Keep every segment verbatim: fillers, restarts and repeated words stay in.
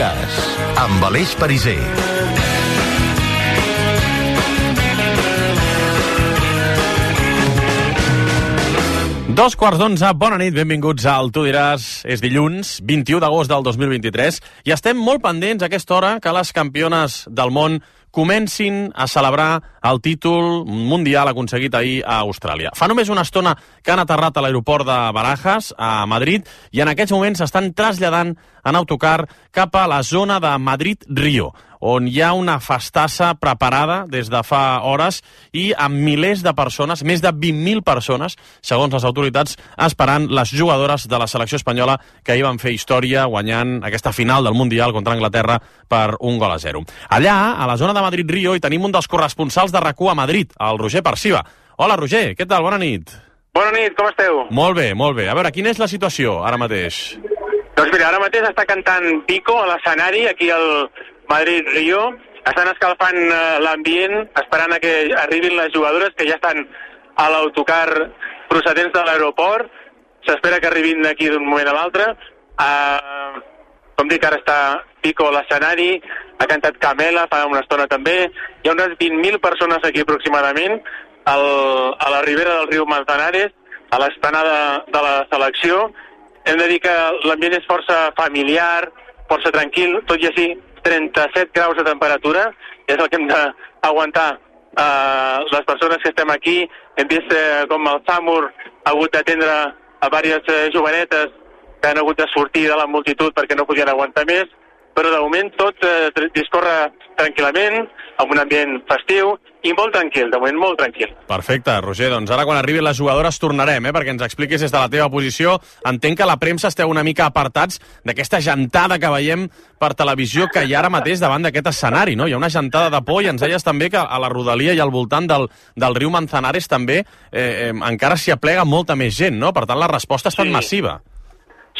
Amigues, amb Aleix Pariser. Dos quarts d'onze, bona nit, benvinguts al Tu diràs. És dilluns, vint-i-u d'agost del dos mil vint-i-tres, i estem molt pendents a aquesta hora que les campiones del món comencin a celebrar el títol mundial aconseguit ahir a Austràlia. Fa només una estona que han aterrat a l'aeroport de Barajas, a Madrid, i en aquests moments s'estan traslladant en autocar cap a la zona de Madrid-Rio, on hi ha una festassa preparada des de fa hores i amb milers de persones, més de vint mil persones, segons les autoritats, esperant les jugadores de la selecció espanyola que ahir van fer història guanyant aquesta final del Mundial contra Anglaterra per un gol a zero. Allà, a la zona de Madrid-Rio, hi tenim un dels corresponsals de RAC u a Madrid, el Roger Perciba. Hola, Roger, què tal? Bona nit. Bona nit, com esteu? Molt bé, molt bé. A veure, quina és la situació ara mateix? Doncs mira, ara mateix està cantant Pico a l'escenari, aquí al Madrid-Rio. Estan escalfant l'ambient, esperant a que arribin les jugadores, que ja estan a l'autocar procedents de l'aeroport. S'espera que arribin d'aquí d'un moment a l'altre. Uh, com dic, ara està Pico a l'escenari, ha cantat Camela fa una estona també. Hi ha unes vint mil persones aquí aproximadament, al, a la ribera del riu Manzanares, a l'esplanada de la selecció. Hem de dir que l'ambient és força familiar, força tranquil, tot i així trenta-set graus de temperatura, és el que hem d'aguantar eh, les persones que estem aquí. Hem vist eh, com el Samur ha hagut d'atendre a diverses eh, jovenetes que han hagut de sortir de la multitud perquè no podien aguantar més, però de moment tot eh, discorre tranquil·lament, amb un ambient festiu i molt tranquil, de moment molt tranquil. Perfecte, Roger, doncs ara quan arribin les jugadores tornarem, eh, perquè ens expliquis des de la teva posició. Entenc que la premsa esteu una mica apartats d'aquesta gentada que veiem per televisió que hi ha ara mateix davant d'aquest escenari, no? Hi ha una gentada de por i ens deies també que a la rodalia i al voltant del, del riu Manzanares també eh, eh, encara s'hi aplega molta més gent, no? Per tant, la resposta ha estat Sí. massiva.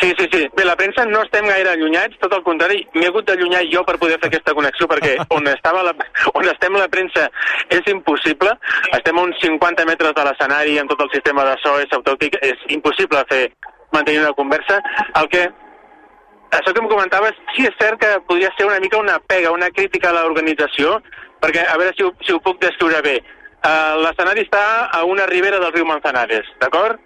Sí, sí, sí. Bé, la premsa no estem gaire allunyats, tot el contrari, m'he hagut d'allunyar jo per poder fer aquesta connexió, perquè on, estava la, on estem la premsa és impossible. Estem a uns cinquanta metres de l'escenari, amb tot el sistema de so, és autòntic, és impossible fer mantenir una conversa. El que, això que em comentaves, sí és cert que podria ser una mica una pega, una crítica a l'organització, perquè, a veure si ho, si ho puc descriure bé. Uh, l'escenari està a una ribera del riu Manzanares, d'acord?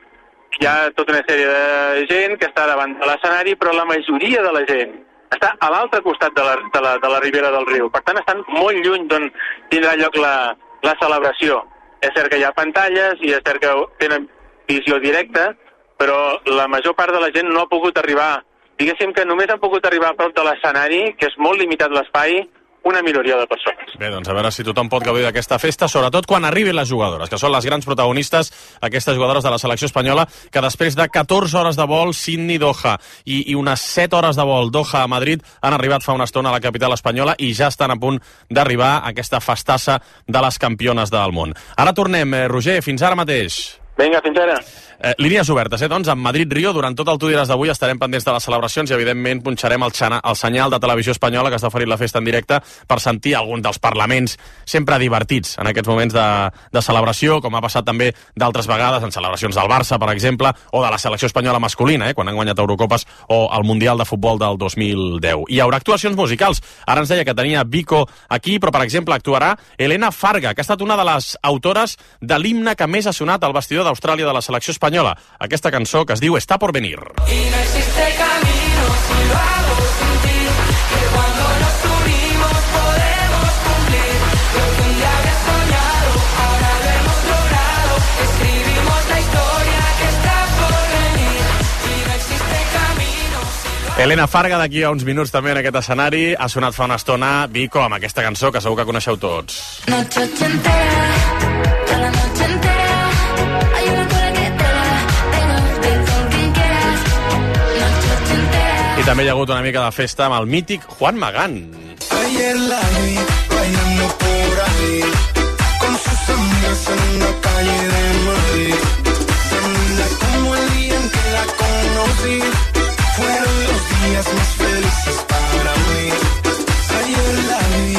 Hi ha tota una sèrie de gent que està davant de l'escenari, però la majoria de la gent està a l'altre costat de la, de, la, de la ribera del riu. Per tant, estan molt lluny d'on tindrà lloc la, la celebració. És cert que hi ha pantalles i és cert que tenen visió directa, però la major part de la gent no ha pogut arribar. Diguéssim que només han pogut arribar a prop de l'escenari, que és molt limitat l'espai, una minoria de persones. Bé, doncs a veure si tothom pot gaudir d'aquesta festa, sobretot quan arribin les jugadores, que són les grans protagonistes, aquestes jugadores de la selecció espanyola, que després de catorze hores de vol Sydney-Doha i, i unes set hores de vol Doha a Madrid han arribat fa una estona a la capital espanyola i ja estan a punt d'arribar a aquesta festassa de les campiones del món. Ara tornem, eh, Roger, fins ara mateix. Vinga, fins ara. Eh, línies obertes, eh, doncs, amb Madrid-Rio. Durant tot el Tu diràs d'avui estarem pendents de les celebracions i, evidentment, punxarem el, xana, el senyal de televisió espanyola que està oferint la festa en directe per sentir algun dels parlaments sempre divertits en aquests moments de, de celebració, com ha passat també d'altres vegades en celebracions del Barça, per exemple, o de la selecció espanyola masculina, eh, quan han guanyat Eurocopes, o el Mundial de Futbol del dos mil deu. Hi haurà actuacions musicals. Ara ens deia que tenia Vico aquí, però, per exemple, actuarà Elena Farga, que ha estat una de les autores de l'himne que més ha sonat al vestidor d'Austràlia de la selecció espanyola. Aquesta cançó que es diu Está por venir. Y no existe camino si lo hago sin ti, que cuando nos unimos podemos cumplir lo que un día había soñado, ahora lo hemos logrado, escribimos la historia que está por venir, y no existe camino si lo hago... Elena Farga, d'aquí a uns minuts també en aquest escenari, ha sonat fa una estona Vico amb aquesta cançó que segur que coneixeu tots. Noche entera, toda la noche entera, hay una cola que te la tengo, ven con quien quieras. Noche entera. I també hi ha hagut una mica de festa amb el mític Juan Magán. Ayer la vi bailando por ahí con sus amigas en la calle de Madrid. Tan linda como el día en que la conocí, fueron los días más felices para mí. Ayer la vi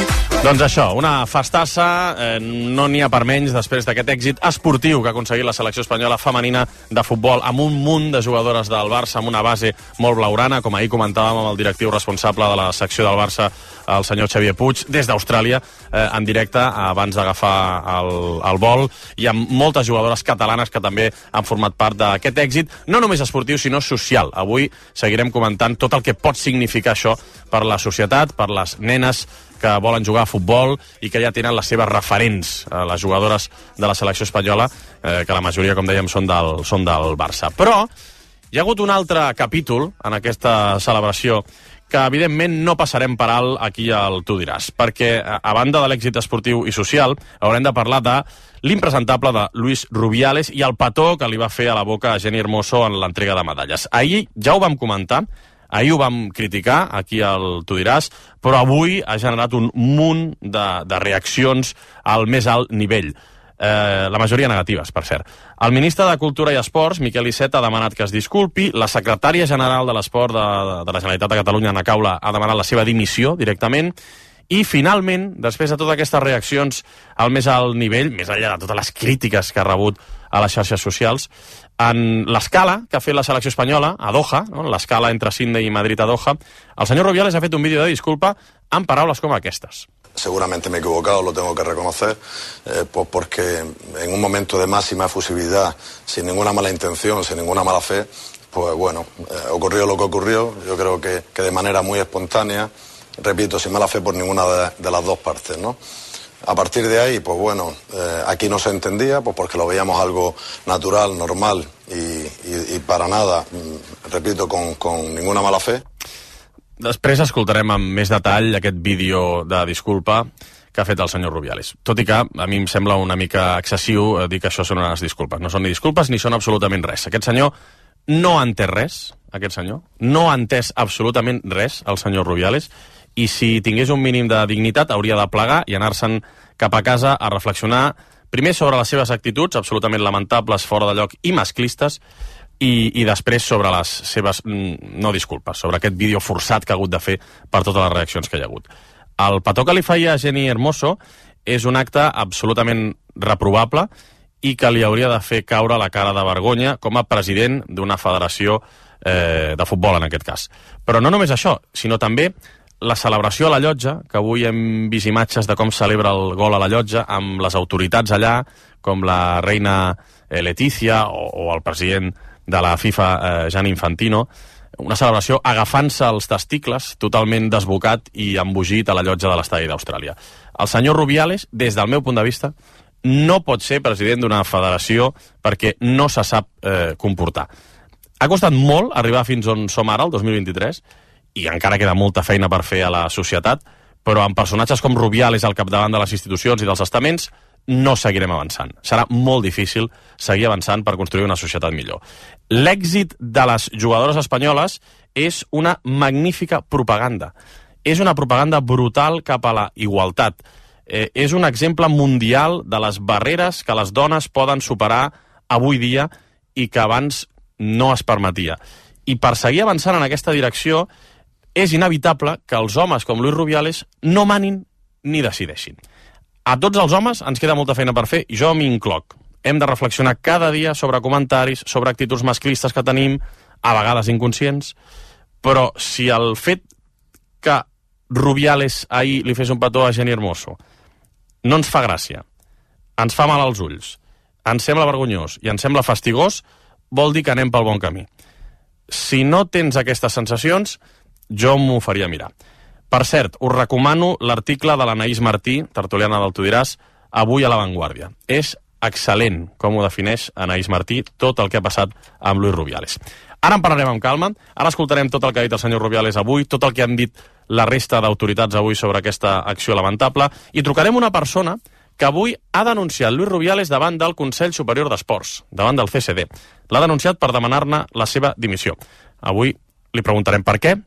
Doncs això, una festassa, eh, no n'hi ha per menys després d'aquest èxit esportiu que ha aconseguit la selecció espanyola femenina de futbol amb un munt de jugadores del Barça, amb una base molt blaurana, com ahir comentàvem amb el directiu responsable de la secció del Barça, el senyor Xavier Puig, des d'Austràlia, eh, en directe, abans d'agafar el, el vol, i amb moltes jugadores catalanes que també han format part d'aquest èxit, no només esportiu, sinó social. Avui seguirem comentant tot el que pot significar això per la societat, per les nenes que volen jugar a futbol i que ja tenen les seves referents, eh, les jugadores de la selecció espanyola, eh, que la majoria, com dèiem, són del, són del Barça. Però hi ha hagut un altre capítol en aquesta celebració que, evidentment, no passarem per alt aquí al Tu diràs, perquè, a banda de l'èxit esportiu i social, haurem de parlar de l'impresentable de Luis Rubiales i el petó que li va fer a la boca a Jenni Hermoso en l'entrega de medalles. Ahir ja ho vam comentar, ahir ho vam criticar, aquí al Tu diràs, però avui ha generat un munt de, de reaccions al més alt nivell. Eh, la majoria negatives, per cert. El ministre de Cultura i Esports, Miquel Iceta, ha demanat que es disculpi. La secretària general de l'Esport de, de la Generalitat de Catalunya, Ana Caula, ha demanat la seva dimissió directament. I, finalment, després de totes aquestes reaccions al més alt nivell, més enllà de totes les crítiques que ha rebut a les xarxes socials, en l'escala que ha fet la selecció espanyola a Doha, no? L'escala entre Sydney i Madrid a Doha, el senyor Rubiales ha fet un vídeo de disculpa amb paraules com aquestes. Seguramente me he equivocado, lo tengo que reconocer, eh, pues porque en un momento de máxima efusividad, sin ninguna mala intención, sin ninguna mala fe, pues bueno, eh, ocurrió lo que ocurrió. Yo creo que, que de manera muy espontánea, repito, sin mala fe por ninguna de, de las dos partes, ¿no? A partir de ahí, pues bueno, eh, aquí no se entendía, pues porque lo veíamos algo natural, normal y, y, y para nada, repito, con, con ninguna mala fe. Després escoltarem amb més detall aquest vídeo de disculpa que ha fet el senyor Rubiales. Tot i que a mi em sembla una mica excessiu dir que això són unes disculpes. No són ni disculpes ni són absolutament res. Aquest senyor no ha entès res, aquest senyor. No ha entès absolutament res, el senyor Rubiales, i si tingués un mínim de dignitat hauria de plegar i anar-se'n cap a casa a reflexionar primer sobre les seves actituds absolutament lamentables, fora de lloc i masclistes, I, i després sobre les seves, no disculpes, sobre aquest vídeo forçat que ha hagut de fer per totes les reaccions que hi ha hagut. El petó que li feia a Jenni Hermoso és un acte absolutament reprovable i que li hauria de fer caure la cara de vergonya com a president d'una federació eh, de futbol, en aquest cas. Però no només això, sinó també la celebració a la llotja, que avui hem vist imatges de com celebra el gol a la llotja, amb les autoritats allà, com la reina Letícia o, o el president de la FIFA, eh, Gianni Infantino, una celebració agafant-se els testicles, totalment desbocat i embogit a la llotja de l'estadi d'Austràlia. El senyor Rubiales, des del meu punt de vista, no pot ser president d'una federació perquè no se sap eh, comportar. Ha costat molt arribar fins on som ara, el dos mil vint-i-tres, i encara queda molta feina per fer a la societat, però amb personatges com Rubiales al capdavant de les institucions i dels estaments, no seguirem avançant. Serà molt difícil seguir avançant per construir una societat millor. L'èxit de les jugadores espanyoles és una magnífica propaganda. És una propaganda brutal cap a la igualtat. Eh, és un exemple mundial de les barreres que les dones poden superar avui dia i que abans no es permetia. I per seguir avançant en aquesta direcció és inevitable que els homes com Luis Rubiales no manin ni decideixin. A tots els homes ens queda molta feina per fer, i jo m'hi incloc. Hem de reflexionar cada dia sobre comentaris, sobre actituds masclistes que tenim, a vegades inconscients, però si el fet que Rubiales ahir li fes un petó a Jenni Hermoso no ens fa gràcia, ens fa mal als ulls, ens sembla vergonyós i ens sembla fastigós, vol dir que anem pel bon camí. Si no tens aquestes sensacions, jo m'ho faria mirar. Per cert, us recomano l'article de l'Anaïs Martí, tertuliana del Tu diràs, avui a La Vanguardia. És excel·lent com ho defineix Anaïs Martí, tot el que ha passat amb Luis Rubiales. Ara en parlarem amb calma, ara escoltarem tot el que ha dit el senyor Rubiales avui, tot el que han dit la resta d'autoritats avui sobre aquesta acció lamentable, i trucarem una persona que avui ha denunciat Luis Rubiales davant del Consell Superior d'Esports, davant del C S D. L'ha denunciat per demanar-ne la seva dimissió. Avui li preguntarem per què,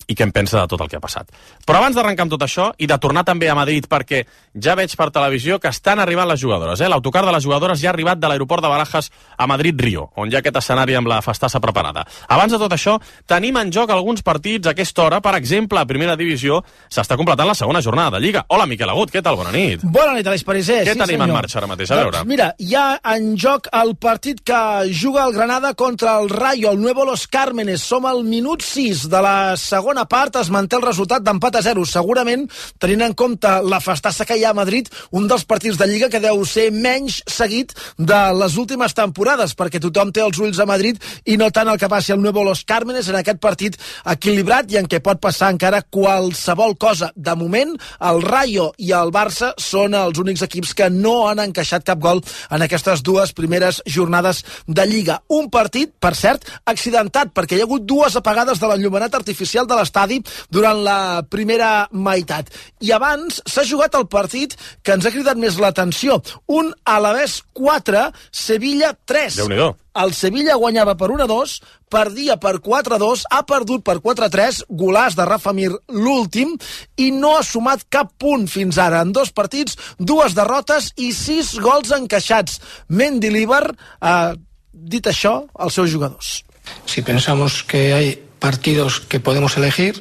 i què en pensa de tot el que ha passat. Però abans d'arrencar amb tot això i de tornar també a Madrid, perquè ja veig per televisió que estan arribant les jugadores. Eh? L'autocar de les jugadores ja ha arribat de l'aeroport de Barajas a Madrid-Rio, on hi ha aquest escenari amb la festassa preparada. Abans de tot això, tenim en joc alguns partits a aquesta hora. Per exemple, a Primera Divisió s'està completant la segona jornada de Lliga. Hola, Miquel Agut, què tal? Bona nit. Bona nit, Aleix Parisés. Què sí, tenim senyor. en marxa ara mateix? A veure. Doncs mira, hi ha en joc el partit que juga el Granada contra el Rayo, el Nuevo Los Cármenes. Som al minut sis de la segona part, es manté el resultat d'empat a zero. Segurament, tenint en compte la festassa que hi ha a Madrid, un dels partits de Lliga que deu ser menys seguit de les últimes temporades, perquè tothom té els ulls a Madrid i no tant el que passi al Nuevo Los Cármenes en aquest partit equilibrat i en què pot passar encara qualsevol cosa. De moment, el Rayo i el Barça són els únics equips que no han encaixat cap gol en aquestes dues primeres jornades de Lliga. Un partit, per cert, accidentat, perquè hi ha hagut dues apagades de l'enllumenat artificial de l'estadi durant la primera meitat. I abans s'ha jugat el partit que ens ha cridat més l'atenció. Un Alavés quatre, Sevilla tres. Déu-n'hi-do. El Sevilla guanyava per un a dos, perdia per quatre a dos, ha perdut per quatre a tres, golàs de Rafa Mir l'últim, i no ha sumat cap punt fins ara. En dos partits, dues derrotes i sis gols encaixats. Mendilibar ha dit això als seus jugadors. Si pensamos que hay partidos que podemos elegir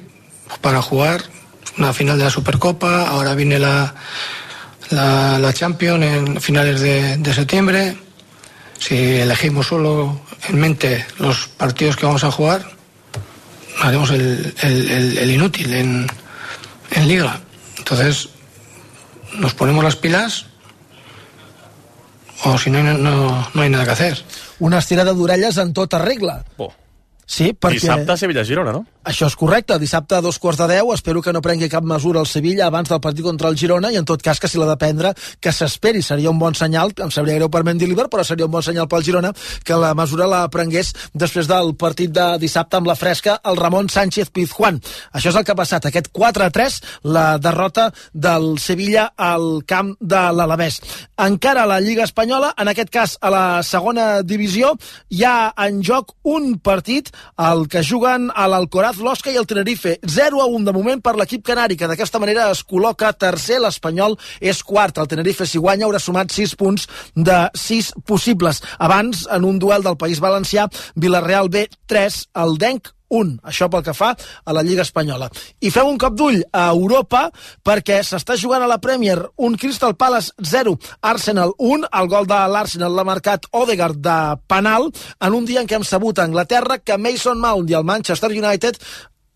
para jugar, una final de la Supercopa, ahora viene la, la, la Champions en finales de, de septiembre. Si elegimos solo en mente los partidos que vamos a jugar, haremos el, el, el, el inútil en, en Liga. Entonces, nos ponemos las pilas o si no, no, no hay nada que hacer. Una estirada d'orelles en tota regla. Oh. Sí, perquè... Dissabte, Sevilla-Girona, no? Això és correcte. Dissabte a dos quarts de deu. Espero que no prengui cap mesura el Sevilla abans del partit contra el Girona i, en tot cas, que si l'ha de prendre, que s'esperi. Seria un bon senyal. Em sabria greu per Mendilibar, però seria un bon senyal pel Girona que la mesura la prengués després del partit de dissabte amb la fresca el Ramon Sánchez Pizjuán. Això és el que ha passat. Aquest quatre a tres, la derrota del Sevilla al camp de l'Alavés. Encara a la Lliga Espanyola, en aquest cas a la segona divisió, hi ha en joc un partit el que juguen a l'Alcoraz, l'Osca i el Tenerife. zero a un de moment per l'equip canari, que d'aquesta manera es col·loca tercer. L'Espanyol és quart. El Tenerife, si guanya, haurà sumat sis punts de sis possibles. Abans, en un duel del País Valencià, Villarreal B tres, el Denc un. Això pel que fa a la Lliga Espanyola. I fem un cop d'ull a Europa, perquè s'està jugant a la Premier un Crystal Palace zero, Arsenal un. El gol de l'Arsenal l'ha marcat Odegaard de penal, en un dia en què hem sabut a Anglaterra que Mason Mount i el Manchester United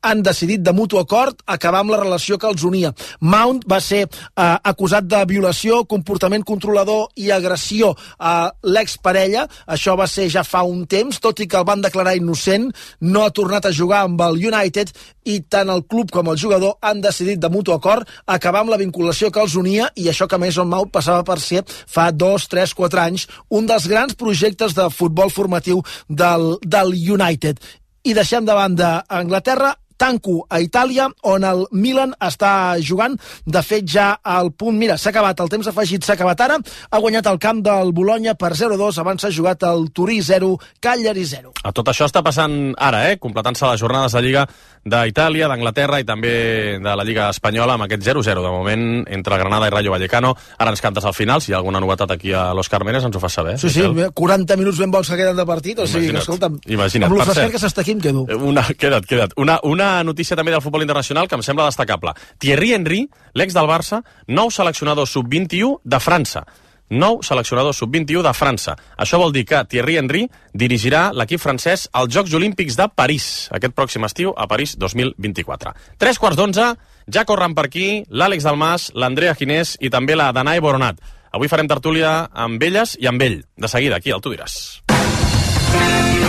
han decidit de mutu acord acabar amb la relació que els unia. Mount va ser eh, acusat de violació, comportament controlador i agressió a l'exparella. Això va ser ja fa un temps, tot i que el van declarar innocent. No ha tornat a jugar amb el United i tant el club com el jugador han decidit de mutu acord acabar amb la vinculació que els unia, i això que Mason Mount passava per ser fa dos, tres, quatre anys un dels grans projectes de futbol formatiu del, del United. I deixem de banda Anglaterra, tanco a Itàlia, on el Milan està jugant. De fet, ja al punt... Mira, s'ha acabat, el temps afegit s'ha acabat ara. Ha guanyat el camp del Bologna per zero a dos, abans s'ha jugat el Turí zero, Cagliari zero. A tot això està passant ara, eh? Completant-se les jornades de Lliga d'Itàlia, d'Anglaterra i també de la Lliga Espanyola, amb aquest zero a zero de moment entre Granada i Rayo Vallecano. Ara ens cantes al final, si hi ha alguna novetat aquí a Los Cármenes ens ho fas saber. Sí, sí, quaranta minuts ben bons que queden de partit, o sigui, imagina't, que escolta'm, imagina't. amb l'ofesquer que s'està aquí em quedo. Una, queda't, queda't. Una, una notícia també del futbol internacional que em sembla destacable. Thierry Henry, l'ex del Barça, nou seleccionador sub vint-i-u de França. Nou seleccionador sub vint-i-u de França. Això vol dir que Thierry Henry dirigirà l'equip francès als Jocs Olímpics de París, aquest pròxim estiu, a París dos mil vint-i-quatre. Tres quarts d'onze, ja corren per aquí l'Àlex Dalmas, l'Andrea Ginés i també la Danae Boronat. Avui farem tertúlia amb elles i amb ell. De seguida, aquí, al Tu diràs.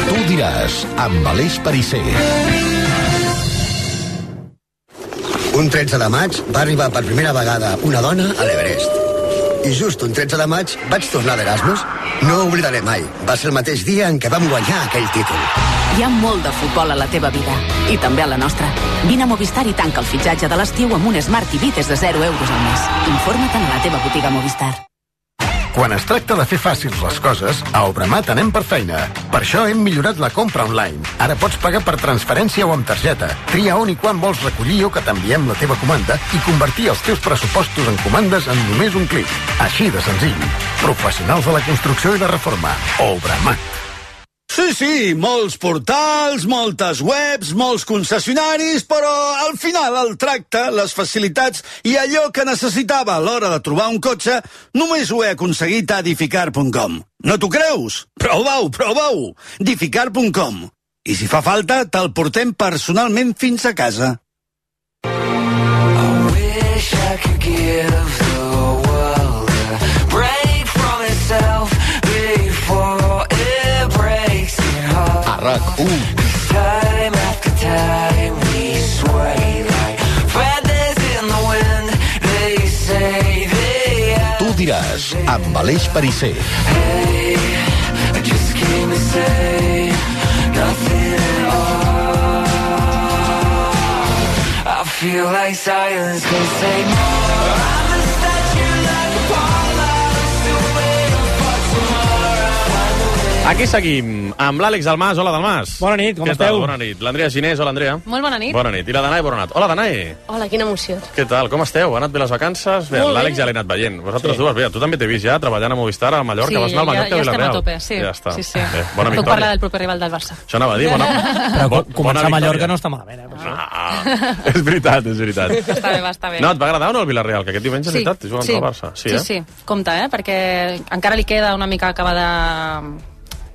Tu diràs, amb Aleix Parisser. Un tretze de maig va arribar per primera vegada una dona a l'Everest. I just un tretze de maig vaig tornar d'Erasmus. No ho oblidaré mai. Va ser el mateix dia en què vam guanyar aquell títol. Hi ha molt de futbol a la teva vida, i també a la nostra. Vine a Movistar i tanca el fitxatge de l'estiu amb un Smart T V des de zero euros al mes. Informa't a la teva botiga Movistar. Quan es tracta de fer fàcils les coses, a Obramat anem per feina. Per això hem millorat la compra online. Ara pots pagar per transferència o amb targeta. Tria on i quan vols recollir o que t'enviem la teva comanda i convertir els teus pressupostos en comandes en només un clic. Així de senzill. Professionals de la construcció i la reforma. Obramat. Sí, sí, molts portals, moltes webs, molts concessionaris, però al final el tracte, les facilitats i allò que necessitava a l'hora de trobar un cotxe només ho he aconseguit a Dificar punt com. No t'ho creus? Prova-ho, prova-ho! Dificar punt com. I si fa falta, te'l portem personalment fins a casa. I wish I could give the world a break from itself before it breaks it hard. A RAC u. Time after time we sway like feathers in the wind. They say they are. Tu diràs, amb Aleix Perisser. Hey, I just came to say nothing at all. I feel like silence can say more. I'm a statue like a Apollo, still waiting for tomorrow. Aquí seguim, amb l'Àlex Dalmas. Hola, Dalmas. Bona nit, com Què esteu? Tal? Bona nit. L'Andrea Ginés. Hola, Andrea. Molt bona nit. Bona nit. I la Danae Boronat. Hola, Danae. Hola, quina emoció. Què tal? Com esteu? Ha anat bé les vacances? Bé, Molt bé. l'Àlex ja l'he anat veient. Vosaltres Sí. dues, bé, tu també t'he vist ja treballant a Movistar, a Mallorca. Sí, Vas anar al ja- Mallorca ja i estem a Villarreal. tope, sí. Ja està. Sí, sí. Bé, bona Puc victòria. parlar del proper rival del Barça. Això anava a dir, bona... Però bo- començar bona a Mallorca victòria. no està malament, eh? Ah, és veritat, és veritat. Està bé, va, està bé. No, et va agradar o no el Villarreal? Que aquest diumenge, és Sí, veritat, juguen sí, contra el Barça. sí, eh? sí. Compte, eh? Perquè encara li queda una mica acabar de,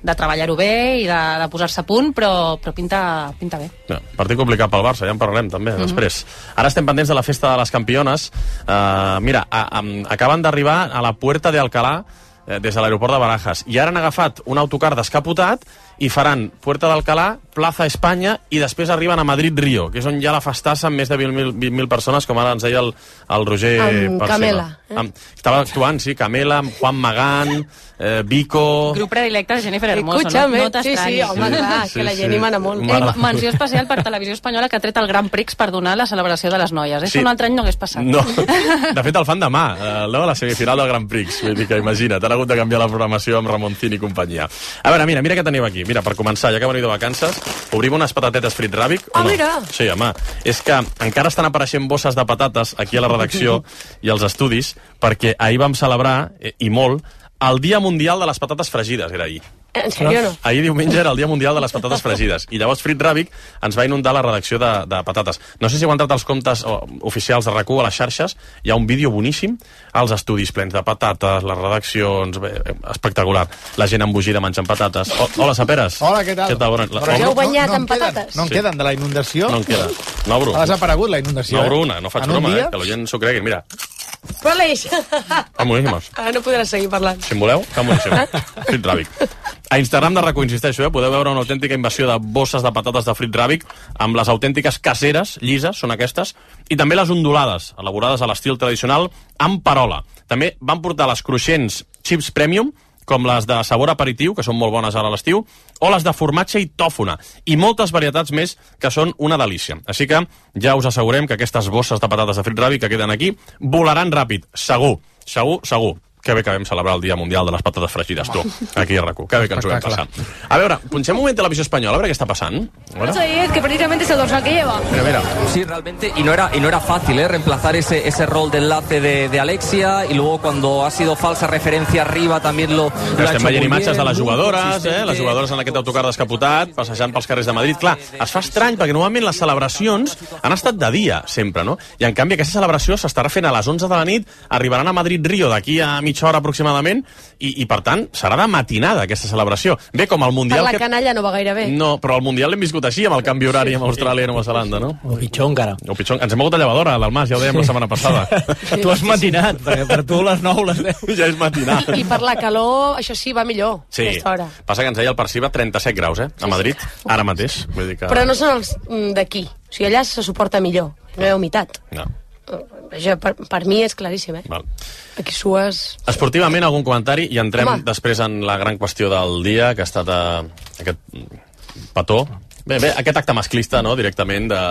de treballar-ho bé i de, de posar-se a punt, però, però pinta, pinta bé. No, partit complicat pel Barça, ja en parlarem també, Mhm. després. Ara estem pendents de la festa de les campiones. Uh, mira, a, a, acaben d'arribar a la Puerta de Alcalá eh, des de l'aeroport de Barajas. I ara han agafat un autocar descapotat i faran Puerta d'Alcalá, Plaza Espanya i després arriben a Madrid-Rio, que és on hi ha la festassa amb més de vint mil persones, com ara ens deia el, el Roger Amb Parcela. Camela, eh? Amb, estava actuant, sí, Camela, amb Juan Magán, eh, Vico... Grup predilecte de Jennifer Hermoso, Escúchame, no? No sí, sí, t'estranyis. home, clar, que la Jenny mana molt. Ei, menció especial per Televisió Espanyola, que ha tret el Grand Prix per donar la celebració de les noies. Això Sí. un altre any no hagués passat. No, de fet el fan demà, eh, no, la semifinal del Grand Prix. Vull dir que imagina't, han hagut de canviar la programació amb Ramoncín i companyia. A veure, mira, mira què teniu aquí. Mira, per començar, ja que veniu de vacances, obrim unes patatetes Frit Ràbic. Ah, mira! Sí, home, és que encara estan apareixent bosses de patates aquí a la redacció i als estudis, perquè ahir vam celebrar, eh, i molt, el Dia Mundial de les Patates Fregides, era ahir. En sèrio, no? Ahir diumenge era el Dia Mundial de les Patates Fregides i llavors Frit Ràbic ens va inundar la redacció de, de patates. No sé si heu entrat als comptes o, oficials de RAC u a les xarxes, hi ha un vídeo boníssim als estudis plens de patates, les redaccions, bé, espectacular. La gent embogida menjant patates. O, hola, Saperes. Hola, què tal? Què tal? Bona... La, Però Heu no- banyat no en amb queden, patates? No en Sí. queden de la inundació? No en queda. No obro. Ha desaparegut la inundació. No obro eh? una, no faig En un broma, dia? eh? Que la gent s'ho cregui. Mira, Però Aleix, fan boníssimes. ara no podràs seguir parlant. Si en voleu, fan boníssimes. Frit Ràbic. A Instagram de RAC u, insisteixo, eh? Podeu veure una autèntica invasió de bosses de patates de Frit Ràbic amb les autèntiques caseres, llises, són aquestes, i també les ondulades, elaborades a l'estil tradicional, amb parola. També van portar les cruixents chips premium, com les de sabor aperitiu, que són molt bones ara a l'estiu, o les de formatge i tòfona, i moltes varietats més que són una delícia. Així que ja us assegurem que aquestes bosses de patates de Frit Ràbic que queden aquí volaran ràpid, segur, segur, segur. Que bé que vam celebrar el Dia Mundial de les Patates Fregides, tu, aquí a RAC u. Que bé que ens ho vam passar. A veure, punxem un moment Televisió Espanyola, a veure què està passant. A veure. Es que precisamente es el dorsal que lleva. Mira, mira. Sí, realmente, y no era, y no era fácil, ¿eh? Reemplazar ese, ese rol de enlace de, de Alexia, y luego cuando ha sido falsa referencia arriba también lo, lo ha Estem hecho veient muy imatges bien, de les muy jugadores, eh? consistente. Les jugadores en aquest autocar descapotat, passejant pels carrers de Madrid. Clar, es fa estrany, perquè normalment les celebracions han estat de dia, sempre, no? I en canvi aquesta celebració s'estarà fent a les onze de la nit, arribaran a Madrid-Rio d'aquí a mitja hora aproximadament, i, i per tant, serà de matinada aquesta celebració. Bé, com el Per Mundial... la que... canalla no va gaire bé. No, però el Mundial l'hem viscut així, amb el canvi horari amb Austràlia i Nova Zelanda, no? O pitjor encara. O pitjor, ens hem mogut a llevadora, l'Almàs, ja ho dèiem la setmana passada. Tu has matinat, perquè per tu les nou les deu. Ja és matinar. I per la calor, això sí, va millor. Sí, aquesta hora. passa que ens deia el Perciba trenta-set graus, eh? A Madrid, ara mateix. Vull dir que... Però no són els mm, d'aquí. O sigui, allà se suporta millor. No hi ha humitat. No. Això, per, per mi és claríssim, eh? Val. Aquí sues... Esportivament, algun comentari i entrem Home. després en la gran qüestió del dia, que ha estat eh, aquest petó Bé, bé, aquest acte masclista, no?, directament de,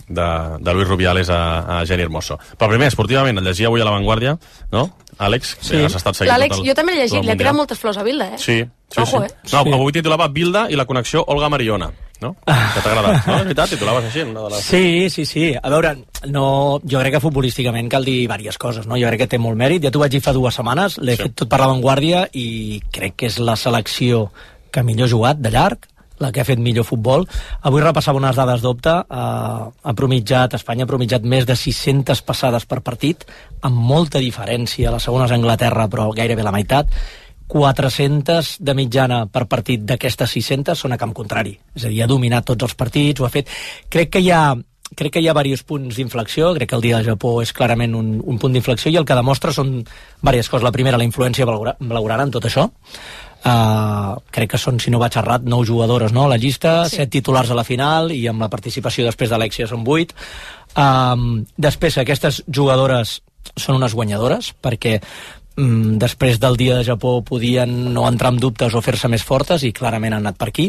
de, de Luis Rubiales a, a Jenny Hermoso. Però primer, esportivament, el llegia avui a La Vanguardia, no? Àlex, sí. Has estat seguint L'Àlex, tot el, jo també l'he llegit, li ha tirat moltes flors a Bilda, eh? Sí, sí, Ojo, sí. eh? No, Sí. avui titulava Bilda i la connexió Olga Mariona, no? Que t'ha agradat, no? És veritat, titulaves així, una de les... Sí, sí, sí. A veure, no, jo crec que futbolísticament cal dir diverses coses, no? Jo crec que té molt mèrit. Ja t'ho vaig dir fa dues setmanes, l'he sí. fet tot per La Vanguardia i crec que és la selecció que millor ha jugat, de llarg, la que ha fet millor futbol. Avui repassava unes dades d'Opta, eh, ha promitjat, Espanya ha promitjat més de sis-centes passades per partit, amb molta diferència, la segona és Anglaterra, però gairebé la meitat, quatre-centes de mitjana per partit d'aquestes sis-centes són a camp contrari, és a dir, ha dominat tots els partits, ho ha fet. Crec que hi ha crec que hi ha diversos punts d'inflexió, crec que el dia del Japó és clarament un, un punt d'inflexió i el que demostra són diverses coses. La primera, la influència blaugrana en tot això. Uh, crec que són, si no vaig errat, nou jugadores, no?, a la llista, sí. set titulars a la final i amb la participació després d'Alexia són vuit. Um, després, aquestes jugadores són unes guanyadores perquè um, després del dia de Japó podien no entrar en dubtes o fer-se més fortes i clarament han anat per aquí.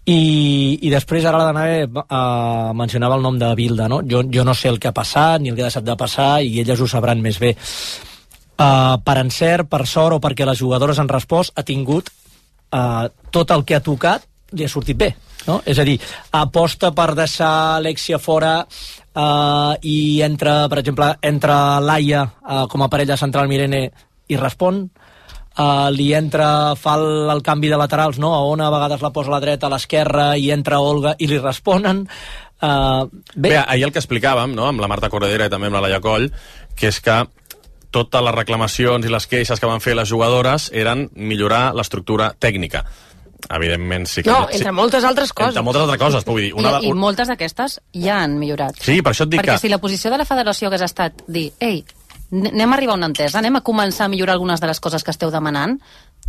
I, i després ara la Danae uh, mencionava el nom de Bilda, no? Jo, jo no sé el que ha passat ni el que ha deixat de passar i elles ho sabran més bé. Uh, per encert, per sort o perquè les jugadores han respost, ha tingut uh, tot el que ha tocat li ha sortit bé, no? És a dir, aposta per deixar Alexia fora uh, i entra, per exemple, entra Laia uh, com a parella central Mirene i respon. Uh, li entra, fa el, el canvi de laterals, no? A Ona a vegades la posa a la dreta, a l'esquerra, i entra Olga i li responen. Uh, bé. bé, ahir el que explicàvem, no?, amb la Marta Corredera i també amb la Laia Coll, que és que totes les reclamacions i les queixes que van fer les jugadores eren millorar l'estructura tècnica. Evidentment, sí que... No, entre moltes altres coses. Entre moltes altres coses, vull dir... Una... I, I moltes d'aquestes ja han millorat. Sí, per això et dic Perquè que... si la posició de la federació hagués estat dir, ei, anem a arribar a una entesa, anem a començar a millorar algunes de les coses que esteu demanant,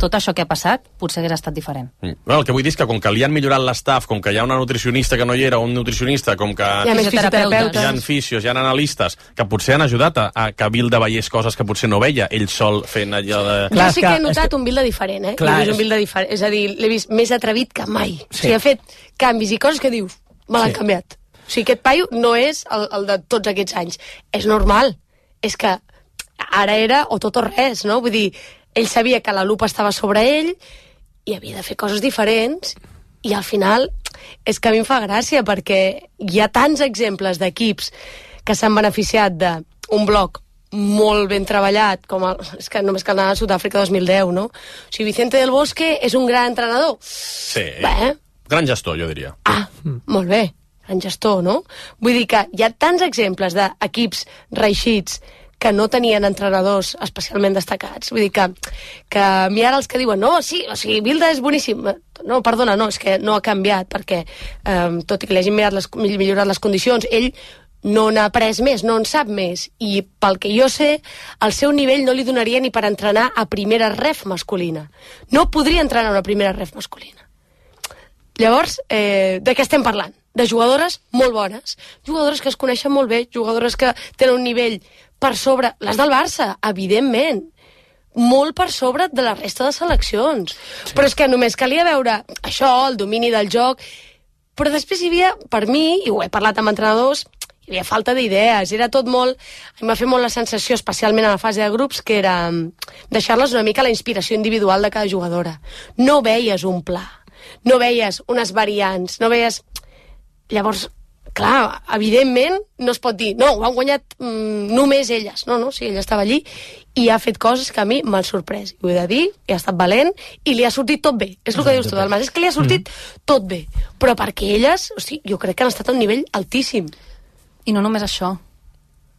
tot això que ha passat potser hagués estat diferent. Mm. Bueno, el que vull dir és que com que li han millorat l'estaf, com que hi ha una nutricionista que no hi era, un nutricionista, com que hi ha més fisioterapeutes, hi ha fisios, hi ha analistes, que potser han ajudat a, a que Bilda veiés coses que potser no veia, ell sol fent allò de... Clar, jo sí que he notat un Bilda diferent, eh? Clar, L'he vist un Bilda diferent, és a dir, l'he vist més atrevit que mai. Sí. O sigui, ha fet canvis i coses que dius, me l'han Sí. canviat. O sigui, aquest paio no és el, el de tots aquests anys. És normal. És que ara era o tot o res, no? Vull dir, ell sabia que la lupa estava sobre ell i havia de fer coses diferents i al final és que a mi em fa gràcia perquè hi ha tants exemples d'equips que s'han beneficiat d'un bloc molt ben treballat, com el, és que només cal anar a Sud-àfrica dos mil deu, no? O sigui, Vicente del Bosque és un gran entrenador. Sí, Bé. gran gestor, jo diria. Ah, molt bé, gran gestor, no? Vull dir que hi ha tants exemples d'equips reixits que no tenien entrenadors especialment destacats. Vull dir que, que a mi ara els que diuen no, sí, o sigui, Bilda és boníssim. No, perdona, no, és que no ha canviat, perquè eh, tot i que li hagin mirat les, millorat les condicions, ell no n'ha après més, no en sap més. I pel que jo sé, el seu nivell no li donaria ni per entrenar a primera ref masculina. No podria entrenar a una primera ref masculina. Llavors, eh, de què estem parlant? De jugadores molt bones, jugadores que es coneixen molt bé, jugadores que tenen un nivell per sobre, les del Barça, evidentment, molt per sobre de la resta de seleccions. Sí. Però és que només calia veure això, el domini del joc, però després hi havia, per mi, i ho he parlat amb entrenadors, hi havia falta d'idees, era tot molt... A mi m'ha fet molt la sensació, especialment a la fase de grups, que era deixar-les una mica la inspiració individual de cada jugadora. No veies un pla, no veies unes variants, no veies... Llavors, clar, evidentment no es pot dir, no, ho han guanyat mm, només elles. No, no, sí, ella estava allí i ha fet coses que a mi m'han sorprès. Ho he de dir, i ha estat valent i li ha sortit tot bé. És el que dius tu, Dalmas, és que li ha sortit mm. tot bé. Però perquè elles, o sigui, jo crec que han estat a un nivell altíssim. I no només això.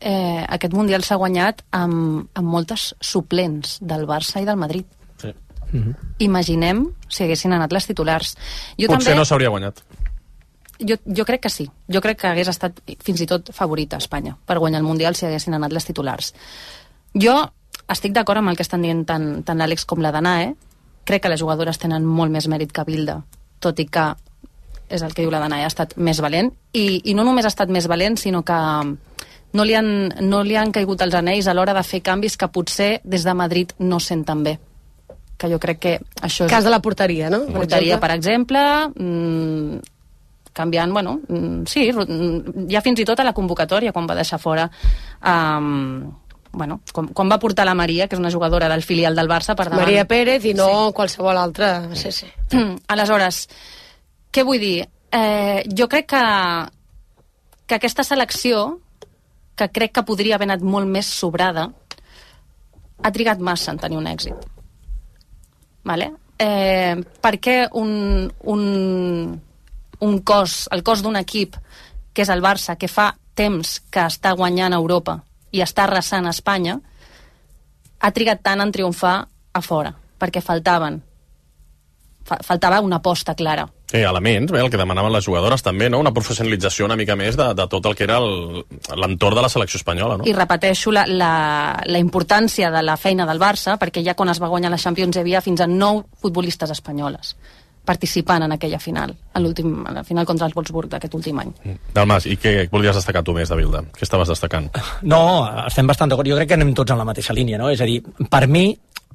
Eh, aquest Mundial s'ha guanyat amb, amb moltes suplents del Barça i del Madrid. Sí. Mm-hmm. Imaginem si haguessin anat les titulars. Jo Potser també... no s'hauria guanyat. Jo, jo crec que sí. Jo crec que hagués estat fins i tot favorita a Espanya per guanyar el Mundial si haguessin anat les titulars. Jo estic d'acord amb el que estan dient tant, tant l'Àlex com la Danae. Crec que les jugadores tenen molt més mèrit que Bilda, tot i que és el que diu la Danae, ha estat més valent. I, i no només ha estat més valent, sinó que no li han, no li han caigut els anells a l'hora de fer canvis que potser des de Madrid no senten bé. Que jo crec que això és... Cas de la porteria, no? Per porteria, exemple. per exemple... Mmm, canviant, bueno, mm, sí, mm, ja fins i tot a la convocatòria, quan va deixar fora... Um, bueno, com, com va portar la Maria, que és una jugadora del filial del Barça, per davant. Maria Pérez i no sí. qualsevol altra. Sí, sí. Aleshores, què vull dir? Eh, jo crec que, que aquesta selecció, que crec que podria haver anat molt més sobrada, ha trigat massa en tenir un èxit. Vale? Eh, per què un, un, un cos, el cos d'un equip, que és el Barça, que fa temps que està guanyant a Europa i està arrasant a Espanya, ha trigat tant en triomfar a fora, perquè faltaven fa, faltava una aposta clara. Sí, elements, bé, el que demanaven les jugadores també, no? Una professionalització una mica més de, de tot el que era l'entorn de la selecció espanyola, no? I repeteixo la, la, la importància de la feina del Barça, perquè ja quan es va guanyar la Champions hi havia fins a nou futbolistes espanyoles participant en aquella final, a, l'últim, a la final contra el Wolfsburg d'aquest últim any. Dalmas, i què volies destacar tu més, Davilda? Què estaves destacant? No, estem bastant d'acord. Jo crec que anem tots en la mateixa línia, no? És a dir, per mi,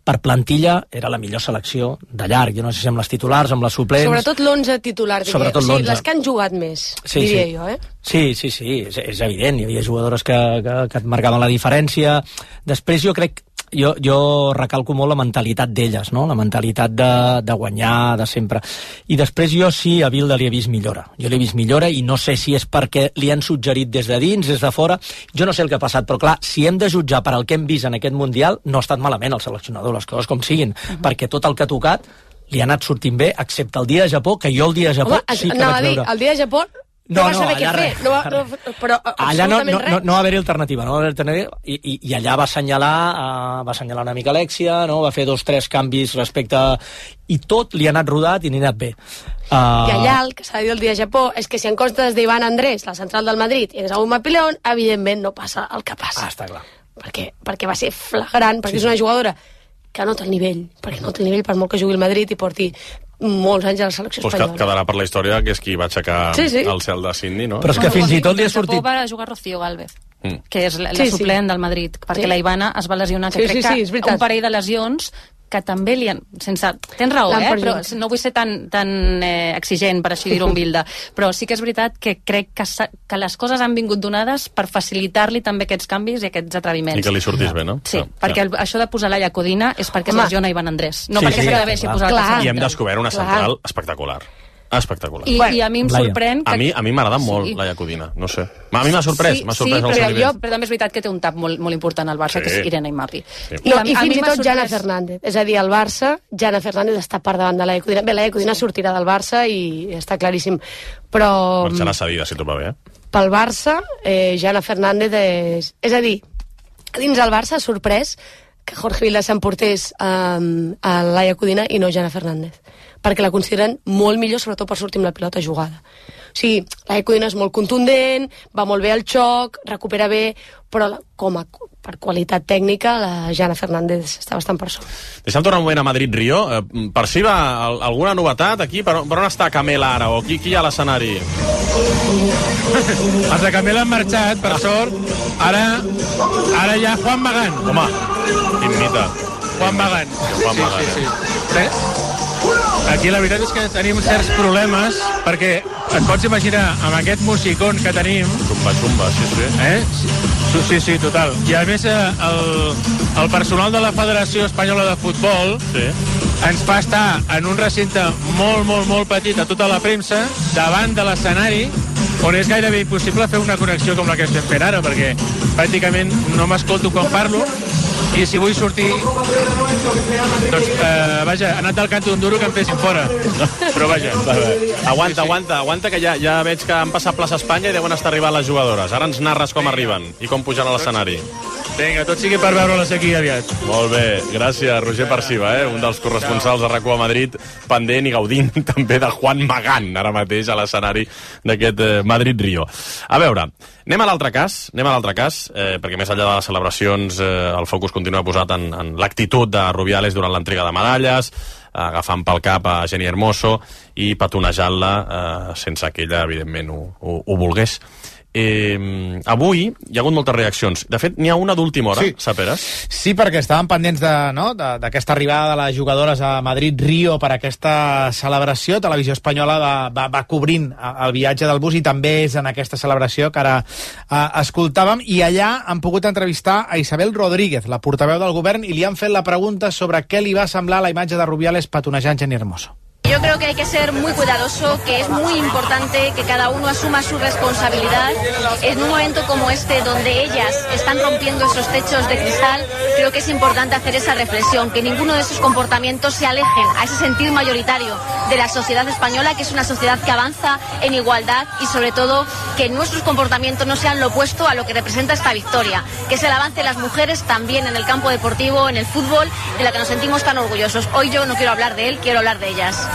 per plantilla, era la millor selecció de llarg. Jo no sé si amb les titulars, amb les suplents... Sobretot l'onze titular, diria. Sobretot o sigui, l'onze. Les que han jugat més, sí, diria sí. jo, eh? Sí, sí, sí, és, és evident. Hi havia jugadores que, que, que et marcaven la diferència. Després jo crec... Jo, jo recalco molt la mentalitat d'elles, no? La mentalitat de, de guanyar, de sempre. I després jo sí a Bilda li he vist millora. Jo l'he vist millora i no sé si és perquè li han suggerit des de dins, des de fora. Jo no sé el que ha passat, però clar, si hem de jutjar per al que hem vist en aquest Mundial, no ha estat malament el seleccionador, les coses com siguin, uh-huh. perquè tot el que ha tocat li ha anat sortint bé, excepte el dia de Japó, que jo el dia de Japó Home, sí que anava vaig a dir, veure... el dia de Japó no, no va saber no, què fer, no va, no, però allà no, no, res. no, no va haver-hi alternativa, no va haver alternativa i, i, i allà va assenyalar, uh, va assenyalar una mica Alexia, no? Va fer dos tres canvis respecte... I tot li ha anat rodat i n'hi ha anat bé. Uh... I allà el que s'ha dit el dia de Japó és que si en comptes d'Ivan Andrés, la central del Madrid, i és a un Mapilón, evidentment no passa el que passa. Ah, està clar. Perquè, perquè va ser flagrant, perquè sí, és una jugadora que no té el nivell, perquè no té el nivell per molt que jugui el Madrid i porti molts anys a la selecció pues espanyola. Quedarà per la història que és qui va aixecar sí, sí. el cel de Sydney, no? Però és que fins i tot li ha sortit... va jugar Rocío Gálvez, mm. que és la, la sí, suplent sí. del Madrid, perquè sí. la Ivana es va lesionar, que sí, crec sí, sí, que un parell de lesions que també li han... Sense... Tens raó, eh? Però no vull ser tan, tan eh, exigent, per així dir-ho en Bilda, però sí que és veritat que crec que, que les coses han vingut donades per facilitar-li també aquests canvis i aquests atreviments. I que li sortís bé, no? Sí, no, perquè el, això de posar Laia Codina és perquè es lesiona Ivan Andrés, no sí, perquè sí, s'ha d'haver així posat la I hem descobert una central clar. espectacular. Espectacular. I, I a mi em sorprèn... Que... A mi, a mi m'agrada sí. molt Laia Codina, no sé. A mi m'ha sorprès, sí, m'ha sorprès sí, el però, seu jo, però també és veritat que té un tap molt, molt important al Barça, sí. que és Irene Imapi. Sí. No, I, I fins i tot sorprès... Jana Fernández. És a dir, al Barça, Jana Fernández està per davant de Laia Codina. Bé, Laia Codina sí. sortirà del Barça i està claríssim. Però... Marxarà cedida, si tot va bé, eh? Pel Barça, eh, Jana Fernández és... És a dir, dins el Barça ha sorprès que Jorge Vilda s'emportés um, a Laia Codina i no Jana Fernández, perquè la consideren molt millor, sobretot per sortir amb la pilota jugada. O sigui, Laia Codina és molt contundent, va molt bé al xoc, recupera bé, però la, com a, per qualitat tècnica la Jana Fernández està bastant per sobre. Deixa'm tornar un moment a Madrid-Rio. Eh, per si va alguna novetat aquí? Per, per on està Camela ara? O qui, qui hi ha a l'escenari? Els de Camela han marxat, per sort. Ara, ara hi ha Juan Magán. Home, quin mite. Juan Magán. Juan Magán, sí, sí, sí. sí. Aquí la veritat és que tenim certs problemes, perquè et pots imaginar amb aquest musicón que tenim... Xumba, xumba, sí, sí. Eh? Sí, sí, sí, total. I a més el, el personal de la Federació Espanyola de Futbol sí. ens fa estar en un recinte molt, molt, molt petit a tota la premsa, davant de l'escenari, on és gairebé impossible fer una connexió com la que estem fent ara, perquè pràcticament no m'escolto quan parlo, i si vull sortir doncs, eh, vaja, ha anat del canto d'un duro que em fessin fora, però vaja va, va. aguanta, aguanta, aguanta que ja, ja veig que han passat plaça Espanya i deuen estar arribant les jugadores. Ara ens narres com arriben i com pugen a l'escenari. Vinga, tot sigui per veure-les aquí aviat. Molt bé, gràcies Roger Parciva, eh? un dels corresponsals de RAC u a Madrid, pendent i gaudint també de Juan Magán ara mateix a l'escenari d'aquest eh, Madrid-Rio. A veure, anem a l'altre cas, anem a l'altre cas, eh, perquè més enllà de les celebracions eh, el focus continua posat en, en l'actitud de Rubiales durant l'entrega de medalles, agafant pel cap a Jenny Hermoso i petonejant-la eh, sense que ella, evidentment, ho, ho, ho volgués. Eh, avui hi ha hagut moltes reaccions. De fet, n'hi ha una d'última hora, sí. Saperes? Sí, perquè estaven pendents d'aquesta no? de, arribada de les jugadores a Madrid-Rio per aquesta celebració. Televisió Espanyola va, va, va cobrint el viatge del bus i també és en aquesta celebració que ara eh, escoltàvem. I allà han pogut entrevistar a Isabel Rodríguez, la portaveu del govern, i li han fet la pregunta sobre què li va semblar la imatge de Rubiales petonejant Jenni Hermoso. Yo creo que hay que ser muy cuidadoso, que es muy importante que cada uno asuma su responsabilidad. En un momento como este, donde ellas están rompiendo esos techos de cristal, creo que es importante hacer esa reflexión, que ninguno de esos comportamientos se alejen a ese sentir mayoritario de la sociedad española, que es una sociedad que avanza en igualdad, y sobre todo que nuestros comportamientos no sean lo opuesto a lo que representa esta victoria, que es el avance de las mujeres también en el campo deportivo, en el fútbol, de la que nos sentimos tan orgullosos. Hoy yo no quiero hablar de él, quiero hablar de ellas.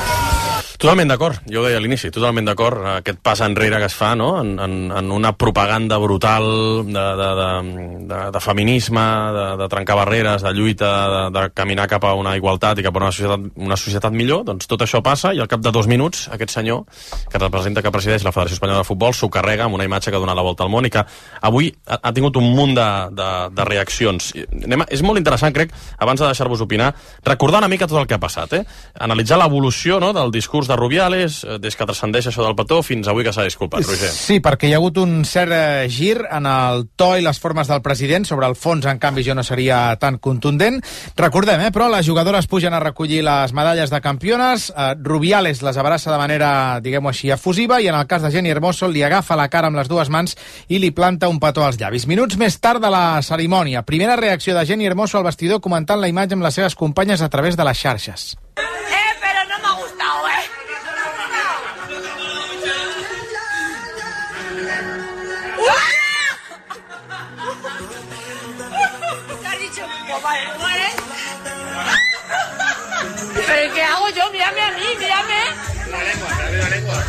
Totalment d'acord, jo ho deia a l'inici, totalment d'acord, aquest pas enrere que es fa, no?, en, en, en una propaganda brutal de, de, de, de, de feminisme, de, de trencar barreres, de lluita, de, de caminar cap a una igualtat i cap a una societat, una societat millor. Doncs tot això passa i al cap de dos minuts aquest senyor, que representa, que presideix la Federació Espanyola de Futbol, s'ho carrega amb una imatge que ha donat la volta al món i que avui ha, ha tingut un munt de, de, de reaccions. Anem a, és molt interessant, crec, abans de deixar-vos opinar, recordar una mica tot el que ha passat, eh? Analitzar l'evolució, no?, del discurs de Rubiales, des que transcendeix això del petó fins avui que s'ha disculpat, Roger. Sí, perquè hi ha hagut un cert eh, gir en el to i les formes del president. Sobre el fons, en canvi, jo no seria tan contundent. Recordem, eh, però, les jugadores pugen a recollir les medalles de campiones, eh, Rubiales les abraça de manera, diguem-ho així, efusiva, i en el cas de Jenni Hermoso li agafa la cara amb les dues mans i li planta un petó als llavis. Minuts més tard de la cerimònia, primera reacció de Jenni Hermoso al vestidor comentant la imatge amb les seves companyes a través de les xarxes. Eh, pero no me ha gustado, eh. ¿Pero qué hago yo? Mírame a mí, mírame. La lengua, la lengua.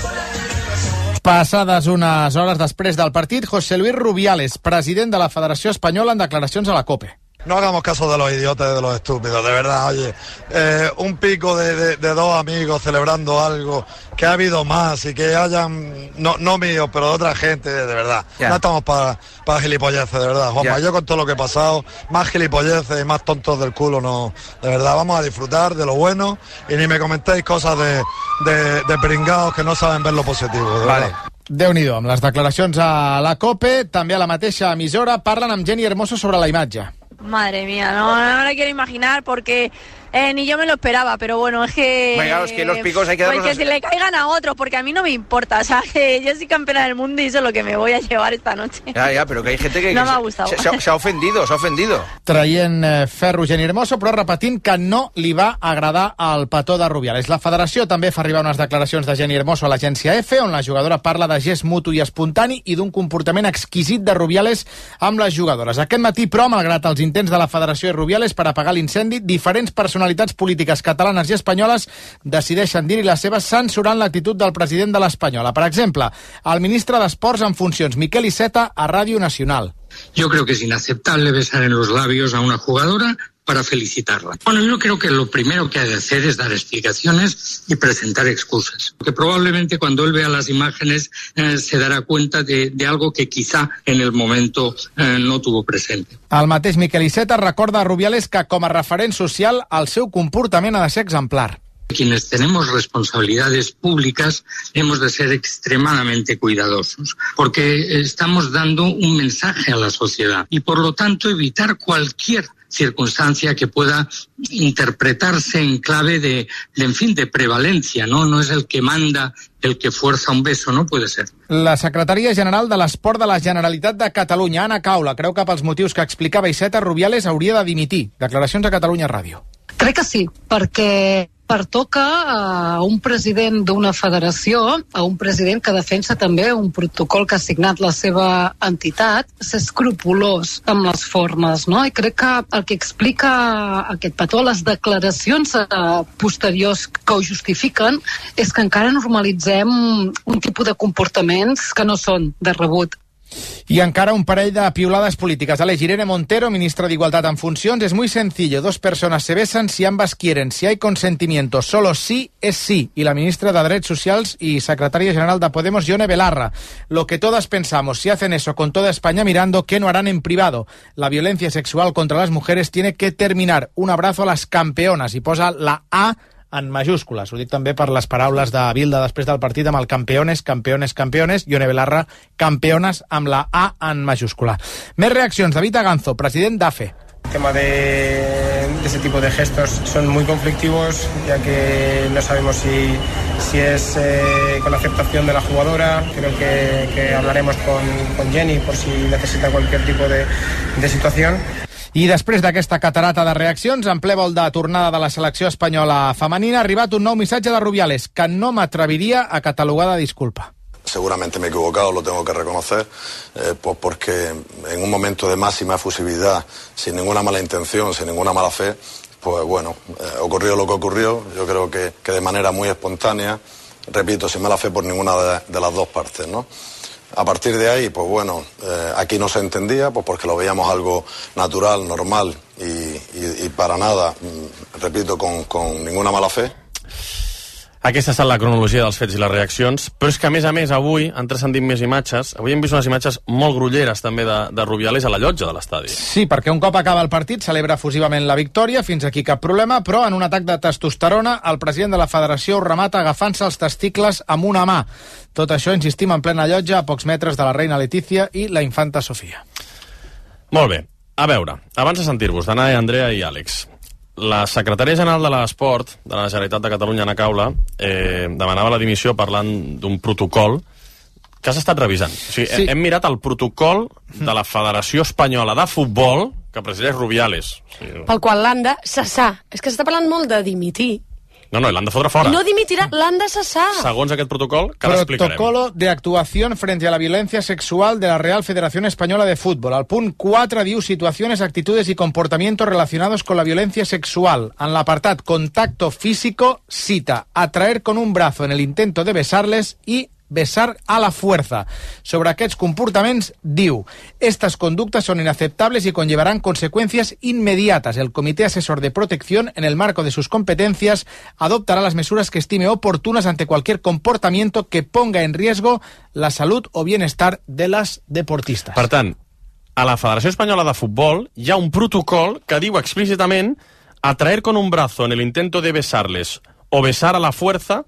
Passades unes hores després del partit, José Luis Rubiales, president de la Federació Espanyola, en declaracions a la COPE. No hagamos caso de los idiotas y de los estúpidos, de verdad, oye, eh, un pico de, de, de dos amigos celebrando algo, que ha habido más y que hayan, no, no míos, pero de otra gente, de verdad. Yeah. No estamos para pa gilipolleces, de verdad, Juanma. Yeah. Yo con todo lo que he pasado, más gilipolleces y más tontos del culo, no, de verdad, vamos a disfrutar de lo bueno y ni me comentéis cosas de, de, de pringados que no saben ver lo positivo, de vale. verdad. Déu-n'hi-do, amb les declaracions a la COPE, també a la mateixa emissora, parlen amb Jenni Hermoso sobre la imatge. Madre mía, no, no me lo quiero imaginar porque eh, ni yo me lo esperaba, pero bueno, es que... Venga, es que los picos hay que darlos... Pues que si le caigan a otros, porque a mí no me importa, o sea, que yo soy campeona del mundo y eso es lo que me voy a llevar esta noche. Ya, ya, pero que hay gente que... No que me ha gustado. Se, se, se ha ofendido, se ha ofendido. Traient eh, ferro Jenni Hermoso, però repetint que no li va agradar el petó de Rubiales. La federació també fa arribar unes declaracions de Jenni Hermoso a l'agència EFE, on la jugadora parla de gest mutu i espontani i d'un comportament exquisit de Rubiales amb les jugadores. Aquest matí, però, malgrat els intents de la federació i Rubiales per apagar l'incendi, diferents personalitats polítiques catalanes i espanyoles decideixen dir-hi les seves censurant l'actitud del president de l'Espanyola. Per exemple, el ministre d'Esports en funcions, Miquel Iceta, a Ràdio Nacional. Yo creo que es inaceptable besar en los labios a una jugadora para felicitarla. Bueno, yo creo que lo primero que ha de hacer es dar explicaciones y presentar excusas. Porque probablemente cuando él vea las imágenes eh, se dará cuenta de, de algo que quizá en el momento eh, no tuvo presente. El mateix Miquel Iceta recorda a Rubiales que com a referent social el seu comportament ha de ser exemplar. Quienes tenemos responsabilidades públicas hemos de ser extremadamente cuidadosos porque estamos dando un mensaje a la sociedad y por lo tanto evitar cualquier circunstancia que pueda interpretarse en clave de, de, en fin, de prevalencia, ¿no? No es el que manda, el que fuerza un beso, no puede ser. La secretària general de l'Esport de la Generalitat de Catalunya, Anna Caula, creu que pels motius que explicava Iceta, Rubiales hauria de dimitir. Declaracions a Catalunya Ràdio. Crec que sí, perquè pertoca a un president d'una federació, a un president que defensa també un protocol que ha signat la seva entitat, ser escrupolós amb les formes, no? I crec que el que explica aquest petó, les declaracions posteriors que ho justifiquen, és que encara normalitzem un tipus de comportaments que no són de rebut. Y encara un parell de piulades políticas. Aleix, Irene Montero, ministra de Igualdad en funciones. Es muy sencillo. Dos personas se besan si ambas quieren. Si hay consentimiento, solo sí es sí. Y la ministra de Drets Socials y secretaria general de Podemos, Yone Belarra. Lo que todas pensamos, si hacen eso con toda España mirando, ¿qué no harán en privado? La violencia sexual contra las mujeres tiene que terminar. Un abrazo a las campeonas. Y posa la A en majúscules. Ho dic també per les paraules de Bilda després del partit amb el campeones, campeones, campeones, Yone Belarra, campeones amb la A en majúscula. Més reaccions. David Aganzo, president d'A F E. El tema de, de ese tipo de gestos son muy conflictivos, ya que no sabemos si, si es eh, con la aceptación de la jugadora. Creo que, que hablaremos con, con Jenny por si necesita cualquier tipo de, de situación. I després d'aquesta catarata de reaccions, en ple vol de tornada de la selecció espanyola femenina, ha arribat un nou missatge de Rubiales, que no m'atreviria a catalogar de disculpa. Seguramente me he equivocado, lo tengo que reconocer, eh, pues porque en un momento de máxima efusividad, sin ninguna mala intención, sin ninguna mala fe, pues bueno, eh, ocurrió lo que ocurrió. Yo creo que, que de manera muy espontánea, repito, sin mala fe por ninguna de, de las dos partes, ¿no? A partir de ahí, pues bueno, eh, aquí no se entendía, pues porque lo veíamos algo natural, normal y, y, y para nada, repito, con, con ninguna mala fe. Aquesta ha estat la cronologia dels fets i les reaccions, però és que, a més a més, avui han transcendit més imatges. Avui hem vist unes imatges molt grolleres, també, de, de Rubiales a la llotja de l'estadi. Sí, perquè un cop acaba el partit celebra efusivament la victòria, fins aquí cap problema, però en un atac de testosterona el president de la federació ho remata agafant-se els testicles amb una mà. Tot això, insistim, en plena llotja, a pocs metres de la reina Letícia i la infanta Sofia. Molt bé. A veure, abans de sentir-vos, Danae, Andrea i Àlex, la secretària general de l'Esport de la Generalitat de Catalunya, Ana Caula, eh, demanava la dimissió parlant d'un protocol que has estat revisant. O sigui, sí. Hem mirat el protocol de la Federació Espanyola de Futbol que presideix Rubiales. O sigui, pel qual l'han de cessar. És que s'està parlant molt de dimitir. No, no, l'han de fotre fora. No dimitirà, l'han de cessar. Segons aquest protocol, que l'explicarem. Protocolo de actuación frente a la violencia sexual de la Real Federación Española de Fútbol. Al punt quatre diu situaciones, actitudes y comportamientos relacionados con la violencia sexual. En l'apartat contacto físico, cita, atraer con un brazo en el intento de besarles y besar a la fuerza. Sobre aquests comportaments, diu, estas conductas son inaceptables y conllevarán consecuencias inmediatas. El Comité Asesor de Protección, en el marco de sus competencias, adoptará las mesuras que estime oportunas ante cualquier comportamiento que ponga en riesgo la salud o bienestar de las deportistas. Per tant, a la Federació Espanyola de Futbol hi ha un protocol que diu explícitament atraer con un brazo en el intento de besarles o besar a la fuerza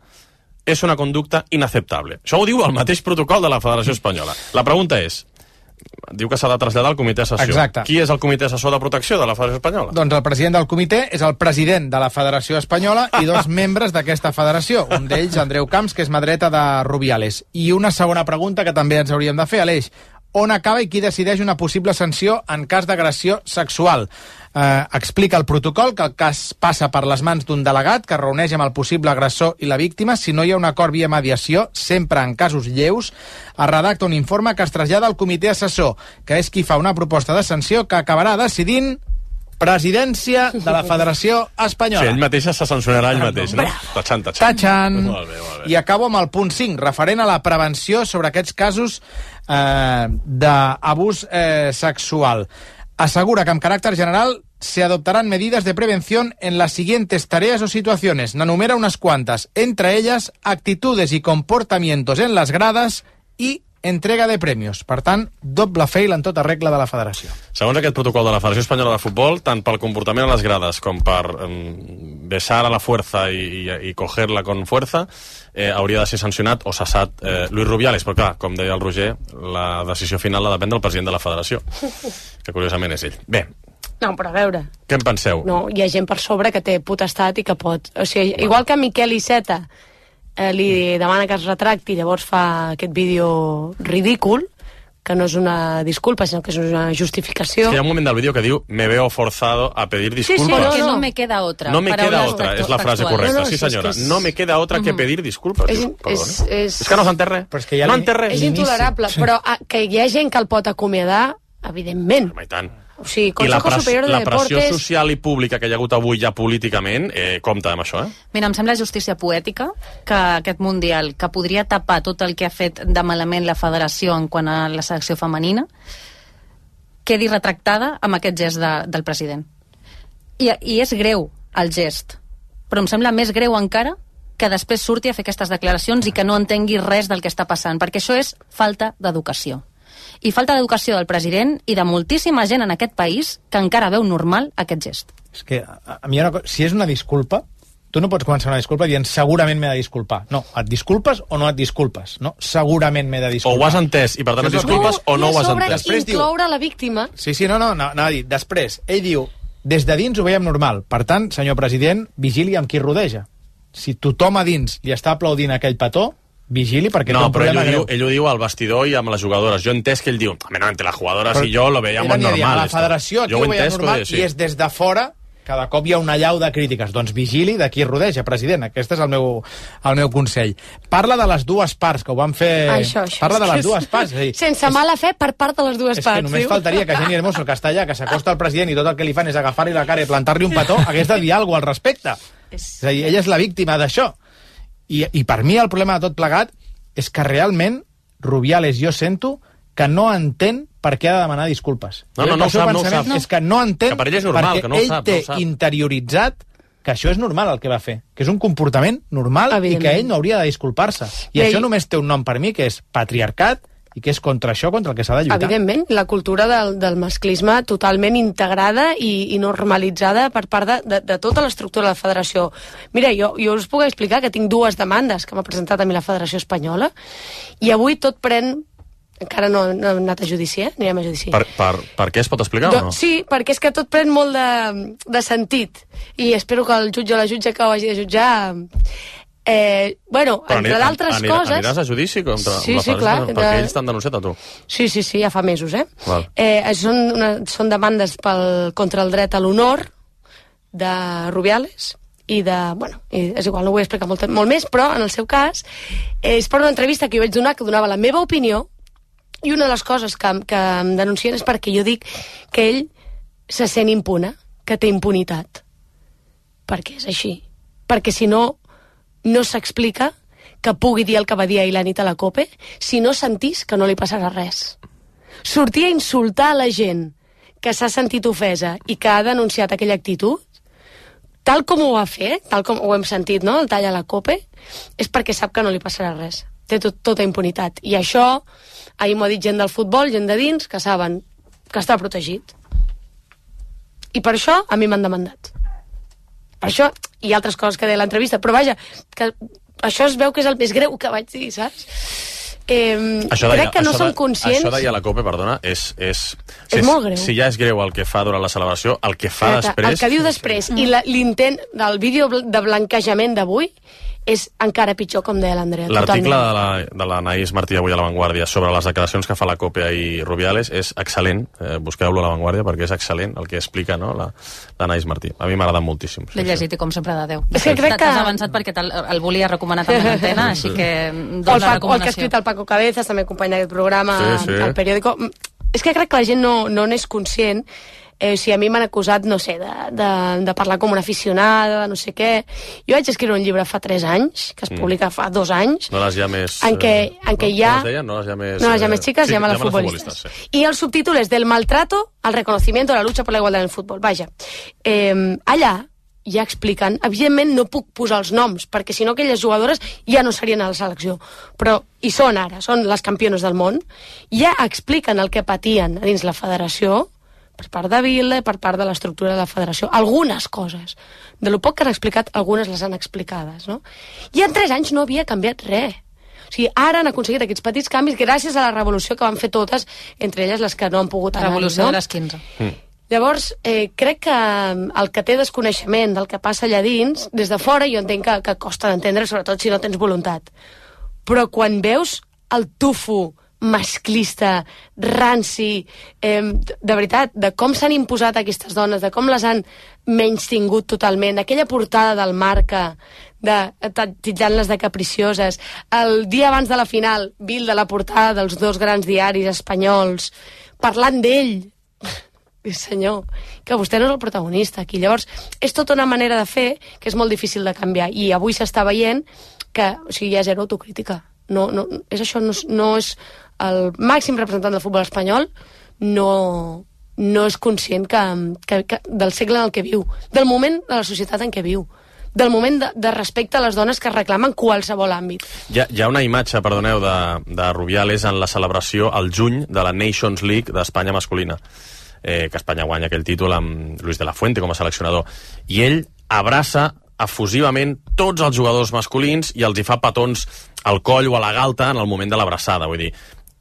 és una conducta inaceptable. Això ho diu el mateix protocol de la Federació Espanyola. La pregunta és, diu que s'ha de traslladar al comitè assessor. Exacte. Qui és el comitè assessor de protecció de la Federació Espanyola? Doncs el president del comitè és el president de la Federació Espanyola i dos membres d'aquesta federació. Un d'ells, Andreu Camps, que és mà dreta de Rubiales. I una segona pregunta que també ens hauríem de fer, Aleix. On acaba i qui decideix una possible sanció en cas d'agressió sexual? Eh, explica el protocol que el cas passa per les mans d'un delegat que reuneix amb el possible agressor i la víctima. Si no hi ha un acord via mediació, sempre en casos lleus, es redacta un informe que es trasllada al comitè assessor, que és qui fa una proposta de sanció que acabarà decidint presidència de la Federació Espanyola. Sí, ell mateix se sancionarà ell mateix, no? Tachan, tachan. Tachan. Molt bé, molt bé. I acabo amb el punt cinc, referent a la prevenció sobre aquests casos eh, d'abús eh, sexual. Asegura que amb caràcter general se adoptarán medidas de prevención en las siguientes tareas o situaciones. N'enumera unas cuantas, entre ellas actitudes y comportamientos en las gradas y entrega de premios. Per tant, doble fail en tota regla de la federació. Segons aquest protocol de la Federació Espanyola de Futbol, tant pel comportament a les grades com per um, besar a la fuerza i, i, i cogerla con fuerza, eh, hauria de ser sancionat o cessat eh, Luis Rubiales. Però clar, com deia el Roger, la decisió final la depèn del president de la federació, que curiosament és ell. Bé, no, però a veure... Què en penseu? No, hi ha gent per sobre que té potestat i que pot... O sigui, bueno. Igual que Miquel Iceta eh, li demana que es retracti i llavors fa aquest vídeo ridícul, que no és una disculpa, sinó que és una justificació. És que hi ha un moment del vídeo que diu me veo forzado a pedir disculpas. Sí, sí, porque no, no me queda otra. No me queda otra, és la frase correcta. No, no, sí, senyora. És... No me queda otra que pedir disculpas. És, Diu, és, és... és que no s'entén res. Ja no entén res. És intolerable, però a, que hi ha gent que el pot acomiadar, evidentment. Home, i tant. O sigui, I la, Consejo pres Superior de la pressió Deportes... social i pública que hi ha hagut avui ja políticament, eh, compta amb això, eh? Mira, em sembla justícia poètica que aquest Mundial, que podria tapar tot el que ha fet de malament la federació en quant a la selecció femenina, quedi retractada amb aquest gest de, del president. I, I és greu el gest, però em sembla més greu encara que després surti a fer aquestes declaracions i que no entengui res del que està passant, perquè això és falta d'educació. I falta d'educació del president i de moltíssima gent en aquest país que encara veu normal aquest gest. És que, a, a mi, una cosa, si és una disculpa, tu no pots començar una disculpa dient segurament m'he de disculpar. No, et disculpes o no et disculpes. No, segurament m'he de disculpar. O ho has entès i per tant et disculpes o no ho has entès. I a sobre incloure la víctima. Sí, sí, no, no, no, no, dir. Després, ell diu, des de dins ho veiem normal. Per tant, senyor president, vigili amb qui rodeja. Si tothom a dins li està aplaudint aquell petó, vigili perquè no, té un problema ell ho, greu. diu, ell ho diu al vestidor i amb les jugadores. Jo he entès que ell diu, no, entre les jugadores però i jo lo veiem molt normal. A la federació aquí ho veiem normal sí. I és des de fora cada cop hi ha una llau de crítiques. Doncs vigili de qui rodeja, president. Aquest és el meu, el meu consell. Parla de les dues parts, que ho van fer... Això, això, Parla de les és... dues parts. És dir, sense mala fe per part de les dues és parts. És que només diu? faltaria que Jenny Hermoso, que està allà, que s'acosta al president i tot el que li fan és agafar-li la cara i plantar-li un petó, hagués de dir alguna cosa al respecte. És a dir, ella és la víctima d'això. I, I per mi el problema de tot plegat és que realment Rubiales jo sento que no entén per què ha de demanar disculpes. No, no, no ho sap, no ho sap. És que no entén que per ell és normal, perquè que no ho ell sap, té no ho sap. interioritzat que això és normal el que va fer, que és un comportament normal i que ell no hauria de disculpar-se. I Bé, això només té un nom per mi, que és patriarcat, i que és contra això, contra el que s'ha de lluitar. Evidentment, la cultura del, del masclisme totalment integrada i, i normalitzada per part de, de, de tota l'estructura de la federació. Mira, jo, jo us puc explicar que tinc dues demandes que m'ha presentat a mi la Federació Espanyola i avui tot pren... Encara no, no hem anat a judici, eh? Anirem a judici. Per, per, per què es pot explicar Do, o no? Sí, perquè és que tot pren molt de, de sentit i espero que el jutge o la jutge que ho hagi de jutjar... Eh, bueno, Però entre anirà, d'altres anirà, coses... Aniràs a judici contra Sí, la sí, Federació? clar, Perquè de- ells t'han denunciat a tu. Sí, sí, sí, ja fa mesos, eh? Val. eh són, una, són demandes pel, contra el dret a l'honor de Rubiales i de... Bueno, i és igual, no ho vull explicar molt, molt més, però en el seu cas eh, és per una entrevista que jo vaig donar, que donava la meva opinió, i una de les coses que, que em denuncien és perquè jo dic que ell se sent impune, que té impunitat. Perquè és així. Perquè si no, no s'explica que pugui dir el que va dir ahir la nit a la COPE si no sentís que no li passarà res. Sortir a insultar a la gent que s'ha sentit ofesa i que ha denunciat aquella actitud, tal com ho va fer, tal com ho hem sentit, no?, el tall a la COPE, és perquè sap que no li passarà res. Té tot, tota impunitat. I això, ahir m'ho ha dit gent del futbol, gent de dins, que saben que està protegit. I per això a mi m'han demandat. Per això, i altres coses que deia a l'entrevista, però vaja, que això es veu que és el més greu que vaig dir, saps? Eh, Això crec deia, que no això som de, conscients... Això deia la COPE, perdona, és... És, És si molt greu. Si ja és greu el que fa durant la celebració, el que fa Exacte, després... el que diu després i la- l'intent del vídeo bl- de blanquejament d'avui és encara pitjor, com deia l'Andrea. L'article totalment. de la, de l'Anaïs Martí avui a La Vanguardia sobre les declaracions que fa la COPE i Rubiales és excel·lent. Eh, busqueu-lo a La Vanguardia perquè és excel·lent el que explica, no?, la- l'Anaïs Martí. A mi m'ha agradat moltíssim. L'he llegit i com sempre de Déu. És que crec que- T'has avançat perquè te'l- el volia recomanar també a l'antena, així que O el, doncs la Paco, o el que ha recomanació. escrit el Paco Cabezas, també company d'aquest programa, Sí, sí. al periòdico. És que crec que la gent no, no n'és conscient. Eh, o sigui, a mi m'han acusat, no sé, de, de, de parlar com una aficionada, de no sé què. Jo vaig escriure un llibre fa tres anys, que es Mm. publica fa dos anys, No les llames... en què, eh, en què no? hi ha... Com es deia? No les llames... No, las llames eh, chicas, sí, llama a las llama futbolistas. sí. Y el subtítulo es Del maltrato al reconocimiento de la lucha por la igualdad en el fútbol. Vaja, eh, allà ja expliquen, evidentment no puc posar els noms, perquè si no aquelles jugadores ja no serien a la selecció, però hi són ara, són les campiones del món, ja expliquen el que patien a dins la federació, per part de Vila, per part de l'estructura de la federació, algunes coses. De lo poc que han explicat, algunes les han explicades, no? I en tres anys no havia canviat res. O sigui, ara han aconseguit aquests petits canvis gràcies a la revolució que van fer totes, entre elles les que no han pogut anar. Revolució no? de les quinze. Mm. Llavors, eh, crec que el que té desconeixement del que passa allà dins, des de fora jo entenc que, que costa d'entendre, sobretot si no tens voluntat. Però quan veus el tufo masclista, ranci, eh, de veritat, de com s'han imposat aquestes dones, de com les han menystingut totalment, aquella portada del Marca, de titllant-les de capricioses, el dia abans de la final, Bill de la portada dels dos grans diaris espanyols, parlant d'ell, senyor, que vostè no és el protagonista aquí. Llavors, és tota una manera de fer que és molt difícil de canviar, i avui s'està veient que, o sigui, hi ha zero autocrítica. No, no, és això, no, no és el màxim representant del futbol espanyol, no, no és conscient que, que, que del segle en el que viu, del moment de la societat en què viu, del moment de, de respecte a les dones que reclamen qualsevol àmbit. Hi ha, hi ha una imatge, perdoneu, de, de Rubiales en la celebració al juny de la Nations League d'Espanya masculina, eh, que Espanya guanya aquell títol amb Luis de la Fuente com a seleccionador, i ell abraça efusivament tots els jugadors masculins i els hi fa petons al coll o a la galta en el moment de l'abraçada. Vull dir,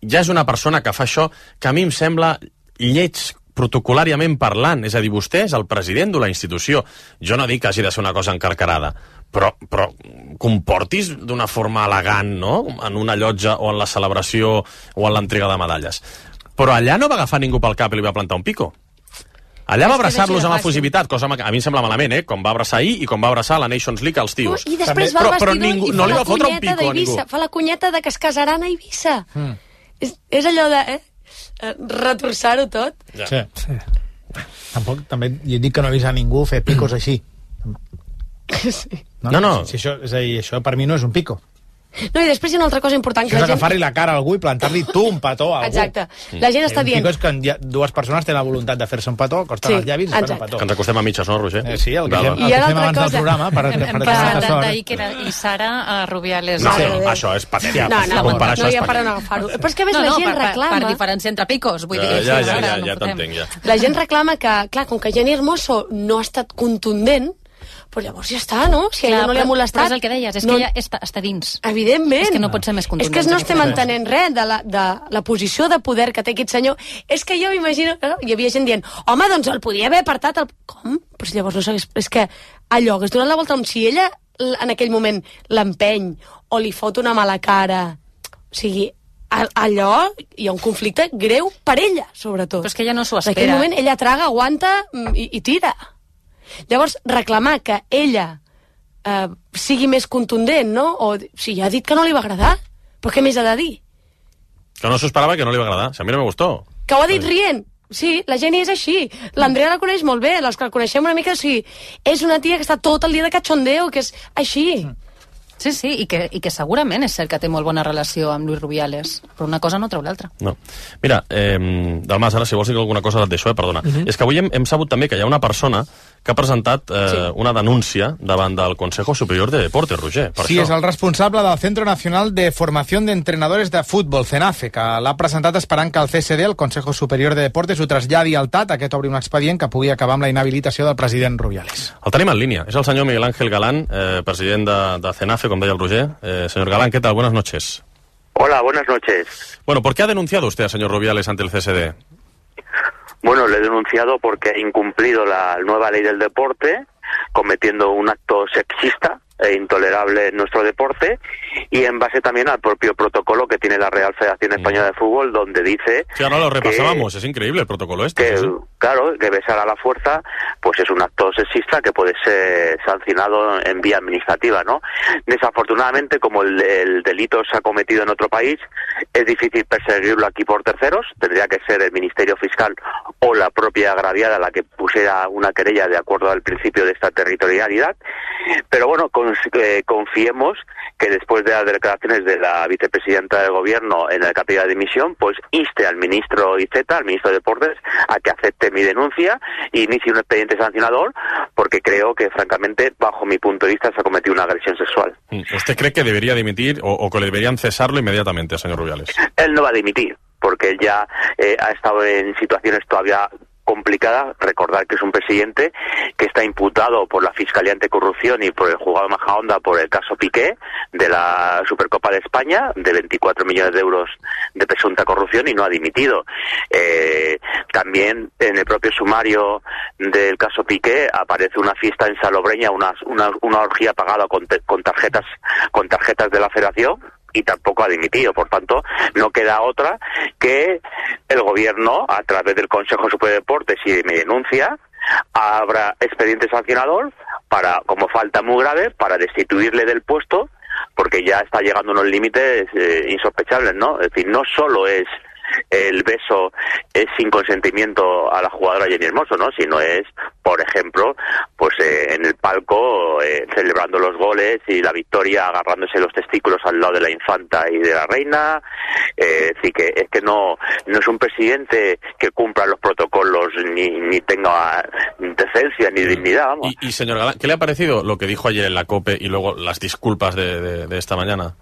ja és una persona que fa això que a mi em sembla lleig protocolàriament parlant, és a dir, vostè és el president de la institució. Jo no dic que hagi de ser una cosa encarcarada, però, però comportis d'una forma elegant, no?, en una llotja o en la celebració o en l'entrega de medalles. Però allà no va agafar ningú pel cap i li va plantar un pico. Allà va abraçar-los amb efusivitat, cosa que a mi em sembla malament, eh? Com va abraçar ahir i com va abraçar la Nations League als tios. I després va al vestidor ningú, i fa no li la va fotre un cunyeta pico a ningú. Fa la cunyeta de que es casaran a Eivissa. Mm. És, és allò de... Eh? retorçar-ho tot. Ja. Sí. sí. Tampoc, també jo dic que no he vist a ningú fer picos així. Sí. No, no. no. Si això, és a dir, això per mi no és un pico. No, i després hi ha una altra cosa important. Això és agafar-li la cara a algú i plantar-li tu un petó a algú. Exacte. La gent està dient... Un pico és que dues persones tenen la voluntat de fer-se un petó, costen sí, els llavis i fan un petó. Que ens acostem a mitges, no, Roger? Eh, sí, el que fem, el que fem abans cosa... del programa. Per, hem per passat d'Iker i Sara a Rubiales. No, no, això és patètic. No, no, no, no hi ha per on agafar-ho. Però és que a més no, la gent per, reclama... Per diferència entre picos, vull dir... Ja, ja, ja, ja t'entenc, ja. La gent reclama que, clar, com que Jenny Hermoso no ha estat contundent, però llavors ja està, no? Si a ella no li ha molestat... Però és el que deies, és no, que ella està, està dins. Evidentment. És que no pot ser més contundent. És que no estem entenent res de la, de la posició de poder que té aquest senyor. És que jo m'imagino... No? Hi havia gent dient, home, doncs el podia haver apartat... El... Com? Però si llavors no s'hagués... És que allò, hagués donat la volta... Si ella en aquell moment l'empeny o li fot una mala cara... O sigui, allò hi ha un conflicte greu per ella, sobretot. Però és que ella no s'ho espera. En aquell moment ella traga, aguanta i, i tira. Llavors, reclamar que ella eh, sigui més contundent, no? O si ja ha dit que no li va agradar, però què més ha de dir? Que no s'ho esperava, que no li va agradar. Si a mi no me gustó. Que ho ha dit rient. Sí, la Jenny és així. L'Andrea la coneix molt bé, les que la coneixem una mica, o sigui, és una tia que està tot el dia de cachondeo, que és així. Sí, sí, i que, i que segurament és cert que té molt bona relació amb Luis Rubiales, però una cosa no treu l'altra. No. Mira, eh, Dalmas, ara si vols dir alguna cosa et deixo, eh? Perdona. Uh -huh. És que avui hem, hem sabut també que hi ha una persona que ha presentat eh, sí. una denúncia davant del Consejo Superior de Deportes, Roger. Per sí, això. És el responsable del Centro Nacional de Formación de Entrenadores de Fútbol, CENAFE, que l'ha presentat esperant que el C S D, el Consejo Superior de Deportes, ho traslladi al T A T, aquest obri un expedient que pugui acabar amb la inhabilitació del president Rubiales. El tenim en línia. És el senyor Miguel Ángel Galán, eh, president de, de CENAFE, com deia el Roger. Eh, señor Galán, ¿qué tal? Buenas noches. Hola, buenas noches. Bueno, ¿por qué ha denunciado usted al señor Rubiales ante el C S D? Bueno, le he denunciado porque ha incumplido la nueva ley del deporte, cometiendo un acto sexista e intolerable en nuestro deporte, y en base también al propio protocolo que tiene la Real Federación Española de Fútbol, donde dice... Sí, ahora lo repasábamos, que, es increíble el protocolo este. Que, ¿sí? Claro, que besar a la fuerza pues es un acto sexista que puede ser sancionado en vía administrativa, ¿no? Desafortunadamente, como el, el delito se ha cometido en otro país, es difícil perseguirlo aquí por terceros, tendría que ser el Ministerio Fiscal o la propia agraviada la que pusiera una querella de acuerdo al principio de esta territorialidad, pero bueno, con, eh, confiemos que después de las declaraciones de la vicepresidenta del gobierno en el capítulo de dimisión, pues inste al ministro Iceta, al ministro de Deportes, a que acepte mi denuncia e inicie un expediente sancionador, porque creo que, francamente, bajo mi punto de vista, se ha cometido una agresión sexual. ¿Usted cree que debería dimitir o, o que le deberían cesarlo inmediatamente, señor Rubiales? Él no va a dimitir, porque él ya eh, ha estado en situaciones todavía complicada. Recordar que es un presidente que está imputado por la Fiscalía Anticorrupción y por el juzgado de Majadahonda por el caso Piqué de la Supercopa de España de veinticuatro millones de euros de presunta corrupción y no ha dimitido. Eh, también en el propio sumario del caso Piqué aparece una fiesta en Salobreña, una, una, una orgía pagada con, te, con tarjetas con tarjetas de la Federación, y tampoco ha dimitido. Por tanto, no queda otra que el gobierno, a través del Consejo Superior de Deportes y de mi denuncia, abra expediente sancionador para, como falta muy grave, para destituirle del puesto, porque ya está llegando a unos límites eh, insospechables, ¿no? Es decir, no solo es el beso es sin consentimiento a la jugadora Jenny Hermoso, ¿no? Sino es, por ejemplo, pues eh, en el palco eh, celebrando los goles y la victoria, agarrándose los testículos al lado de la infanta y de la reina. Eh, es decir, que es que no, no es un presidente que cumpla los protocolos ni, ni tenga decencia ni dignidad, vamos. Y, y señor Galán, ¿qué le ha parecido lo que dijo ayer en la COPE y luego las disculpas de, de, de esta mañana?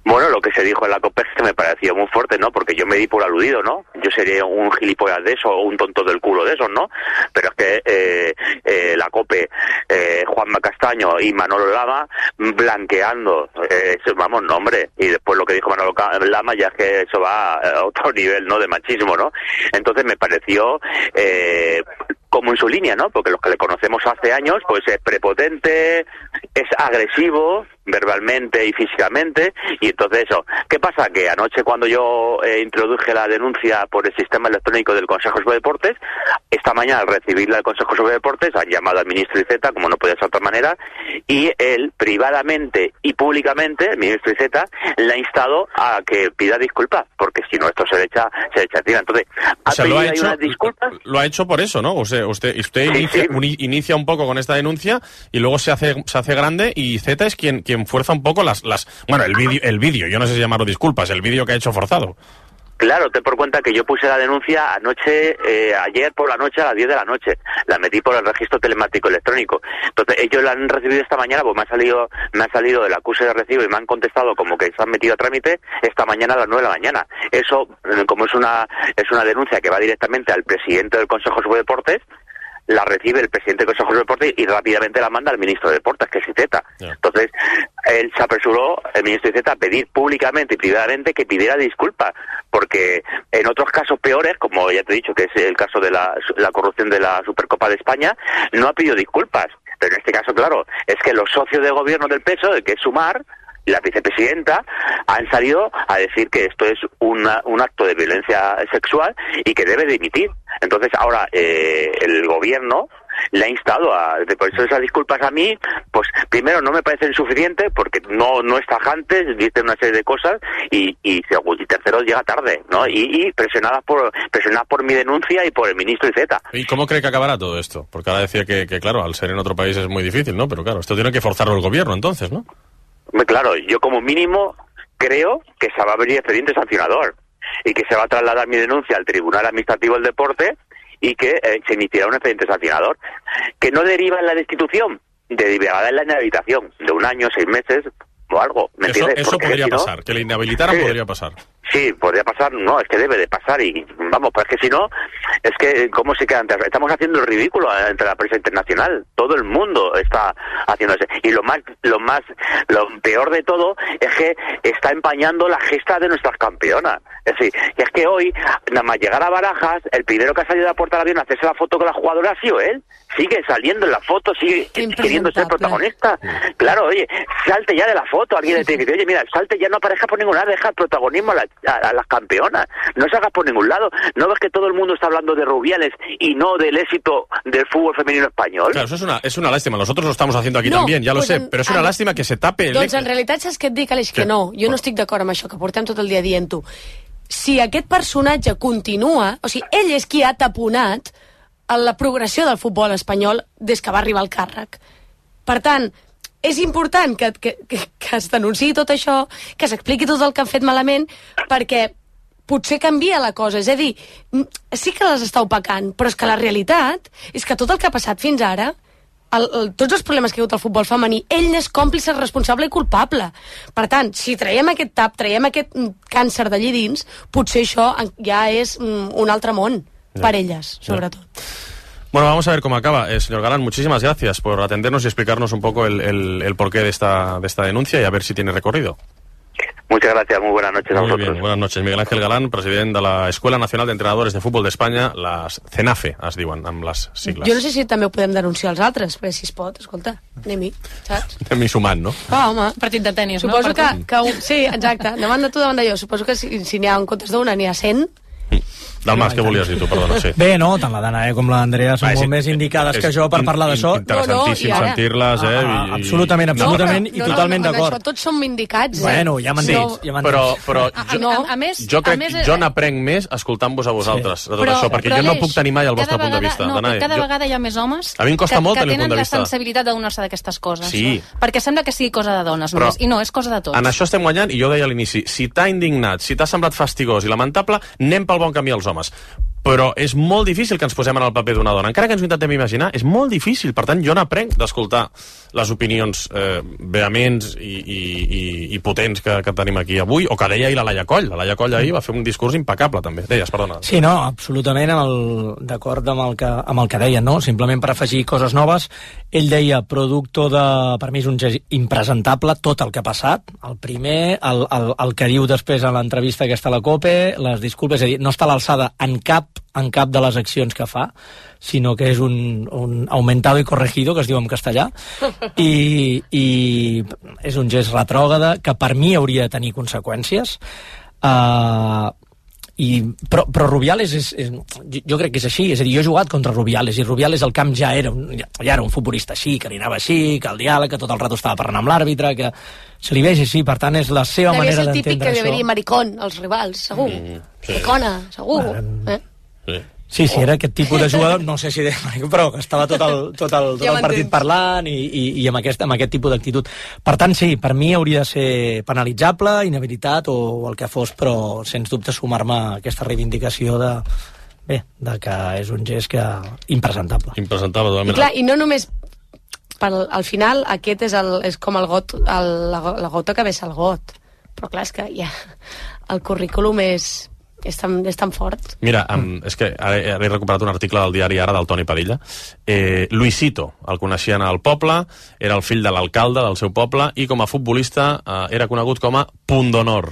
Bueno, lo que se dijo en la COPE es que me pareció muy fuerte, ¿no? Porque yo me di por aludido, ¿no? Yo sería un gilipollas de eso o un tonto del culo de esos, ¿no? Pero es que eh, eh, la COPE, eh, Juanma Castaño y Manolo Lama blanqueando, eh, vamos, no, hombre. Y después lo que dijo Manolo Lama ya es que eso va a otro nivel, ¿no? De machismo, ¿no? Entonces me pareció... Eh, como en su línea, ¿no? Porque los que le conocemos hace años, pues es prepotente, es agresivo, verbalmente y físicamente, y entonces eso. ¿Qué pasa? Que anoche cuando yo eh, introduje la denuncia por el sistema electrónico del Consejo sobre Deportes, esta mañana al recibirla del Consejo sobre Deportes han llamado al ministro Iceta, como no podía ser de otra manera, y él privadamente y públicamente, el ministro Iceta, le ha instado a que pida disculpas, porque si no esto se le echa, se le echa encima. Entonces, o sea, lo ha ahí hecho, unas disculpas. Lo ha hecho por eso, ¿no? O sea, usted, usted Sí, inicia, sí. uni- inicia un poco con esta denuncia y luego se hace, se hace grande, y Zeta es quien, quien fuerza un poco las, las, bueno, el vídeo, el vídeo, yo no sé si llamarlo disculpas, el vídeo que ha hecho forzado. Claro, ten por cuenta que yo puse la denuncia anoche, eh, ayer por la noche a las diez de la noche. La metí por el registro telemático electrónico. Entonces ellos la han recibido esta mañana, pues me ha salido, me ha salido del acuse de recibo y me han contestado como que se han metido a trámite esta mañana a las nueve de la mañana. Eso, eh, como es una, es una denuncia que va directamente al presidente del Consejo de Deportes, la recibe el presidente del Consejo de Deportes y rápidamente la manda al ministro de Deportes, que es Iceta. Yeah. Entonces, él se apresuró, el ministro Iceta, a pedir públicamente y privadamente que pidiera disculpas, porque en otros casos peores, como ya te he dicho, que es el caso de la, la corrupción de la Supercopa de España, no ha pedido disculpas. Pero en este caso, claro, es que los socios de gobierno del P S O E, que es Sumar, y la vicepresidenta, han salido a decir que esto es una, un acto de violencia sexual y que debe dimitir. Entonces ahora eh, el gobierno le ha instado a... Por eso esas disculpas a mí, pues primero no me parecen suficientes porque no no es tajante, dice una serie de cosas y y, y tercero llega tarde, ¿no? Y, y presionadas por presionadas por mi denuncia y por el ministro Iceta. ¿Y cómo cree que acabará todo esto? Porque ahora decía que, que claro, al ser en otro país es muy difícil, ¿no? Pero claro, esto tiene que forzarlo el gobierno entonces, ¿no? Claro, yo como mínimo creo que se va a abrir expediente sancionador y que se va a trasladar mi denuncia al Tribunal Administrativo del Deporte y que eh, se iniciará un expediente sancionador que no deriva en la destitución, derivará en la inhabilitación de un año, seis meses o algo, ¿me eso, entiendes? Eso Porque podría si no, pasar, que le inhabilitaran sí, podría pasar. Sí, podría pasar, no, es que debe de pasar y vamos, pues es que si no, es que ¿cómo se queda antes? Estamos haciendo el ridículo entre la prensa internacional, todo el mundo está haciéndose y lo más, lo más, lo peor de todo es que está empañando la gesta de nuestras campeonas. Es decir, que es que hoy, nada más llegar a Barajas, el primero que ha salido de la puerta del avión a hacerse la foto con la jugadora ha sido él. Sigue saliendo en la foto, sigue queriendo ser protagonista. Claro, oye, salte ya de la foto. Alguien le tiene que decir, oye, mira, salte ya, no aparezca por ningún lado, deja el protagonismo a, la, a, a las campeonas. No se hagas por ningún lado. ¿No ves que todo el mundo está hablando de Rubiales y no del éxito del fútbol femenino español? Claro, eso es una, es una lástima. Nosotros lo estamos haciendo aquí no, también, ya lo pues sé, en, però és una en, làstima que se tape... Doncs en realitat saps què et dic, Aleix? Que no, jo no estic d'acord amb això, que portem tot el dia dient-ho. Si aquest personatge continua, o sigui, ell és qui ha taponat la progressió del futbol espanyol des que va arribar al càrrec. Per tant, és important que, que, que, que es denunciï tot això, que s'expliqui tot el que han fet malament, perquè potser canvia la cosa. És a dir, sí que les està opacant, però és que la realitat és que tot el que ha passat fins ara, el, el, tots els problemes que ha hagut el futbol femení, ell n'és còmplice, responsable i culpable. Per tant, si traiem aquest tap, traiem aquest càncer d'allí dins, potser això ja és un altre món. Ya. Para ellas, sobre ya. todo. Bueno, vamos a ver cómo acaba. Eh, señor Galán, muchísimas gracias por atendernos y explicarnos un poco el, el, el porqué de esta, de esta denuncia y a ver si tiene recorrido. Muchas gracias, muy buenas noches a Muy vosotros. bien, buenas noches. Miguel Ángel Galán, president de la Escuela Nacional de Entrenadores de Fútbol d'Espanya, les CENAFE, es diuen, amb les sigles. Jo no sé si també ho podem denunciar als altres, perquè si es pot, escolta, anem-hi, saps? Anem-hi sumant, no? Ah, home. Partit de tenis, Suposo no? que, que un, sí, exacte, davant de tu, davant de jo. Suposo que si, si n'hi ha en comptes d'una, n'hi ha cent. Del Mas, què volies dir tu? Perdona, sí. Bé, no, tant la Dana com l'Andrea són Ah, sí. molt més indicades És que jo per parlar d'això. interessantíssim No, no, i ara- sentir-les, eh? Ah, i- absolutament, absolutament, i No, totalment no, no, d'acord. en això tots som indicats. Eh? Bueno, ja m'entens, No. ja m'entens. Però, però A, jo, no. a, a més, jo crec a més, que jo n'aprenc més escoltant-vos a vosaltres, sí. de tot Però- això, perquè però, jo no Aleix, puc tenir mai el vostre cada punt de vegada- vista. No, Danae, cada jo- vegada hi ha més homes A mi em costa que, molt que tenir el tenen punt de la vista. sensibilitat d'adonar-se d'aquestes coses. Sí. No? Perquè sembla que sigui cosa de dones Però- només, i no, és cosa de tots. En això estem guanyant, i jo ho deia a l'inici, si t'ha indignat, si t'ha semblat fastigós i lamentable, anem pel bon camí els homes. Però és molt difícil que ens posem en el paper d'una dona. Encara que ens ho intentem imaginar, és molt difícil. Per tant, jo n'aprenc d'escoltar les opinions eh, vehements i, i, i, i potents que, que tenim aquí avui, o que deia ahir la Laia Coll. La Laia Coll ahir va fer un discurs impecable, també. Deies, perdona. Sí, no, absolutament amb el- d'acord amb, el que, amb el que deien, no? Simplement per afegir coses noves. Ell deia, producto de... Per mi és un gest impresentable tot el que ha passat. El primer, el, el, el que diu després a l'entrevista aquesta a la COPE, les disculpes, és a dir, no està a l'alçada en cap en cap de les accions que fa, sinó que és un, un aumentado y corregido, que es diu en castellà, i, i és un gest retrògrada que per mi hauria de tenir conseqüències. Uh, i, però, però Rubiales és, és, jo, jo crec que és així, és a dir, jo he jugat contra Rubiales i Rubiales al camp ja era un, ja, ja era un futbolista així, que li anava així, que el diàleg, que tot el rato estava parlant amb l'àrbitre, que se li veig així, per tant és la seva Devia manera ser el típic d'entendre que això. devia dir maricón als rivals, segur. Mm, sí. Maricona, segur. Eh? Sí. Sí, sí, era aquest tipus de jugador, no sé si de... però que estava tot el, tot el, tot Ja el partit m'entens. parlant i, i, i amb, aquest, amb aquest tipus d'actitud. Per tant, sí, per mi hauria de ser penalitzable, inhabilitat o el que fos, però sens dubte sumar-me a aquesta reivindicació de, bé, de que és un gest que impresentable. Impresentable, I totalment. clar, i no només per, al final aquest és, el, és com el got, el, la, go- la gota que vessa el got, però clar, és que ja, el currículum és, és, tan, és tan fort. Mira, um, és que ara, ara he recuperat un article del diari Ara del Toni Padilla. Eh, Luisito, el coneixien al poble, era el fill de l'alcalde del seu poble i com a futbolista eh, era conegut com a punt d'honor.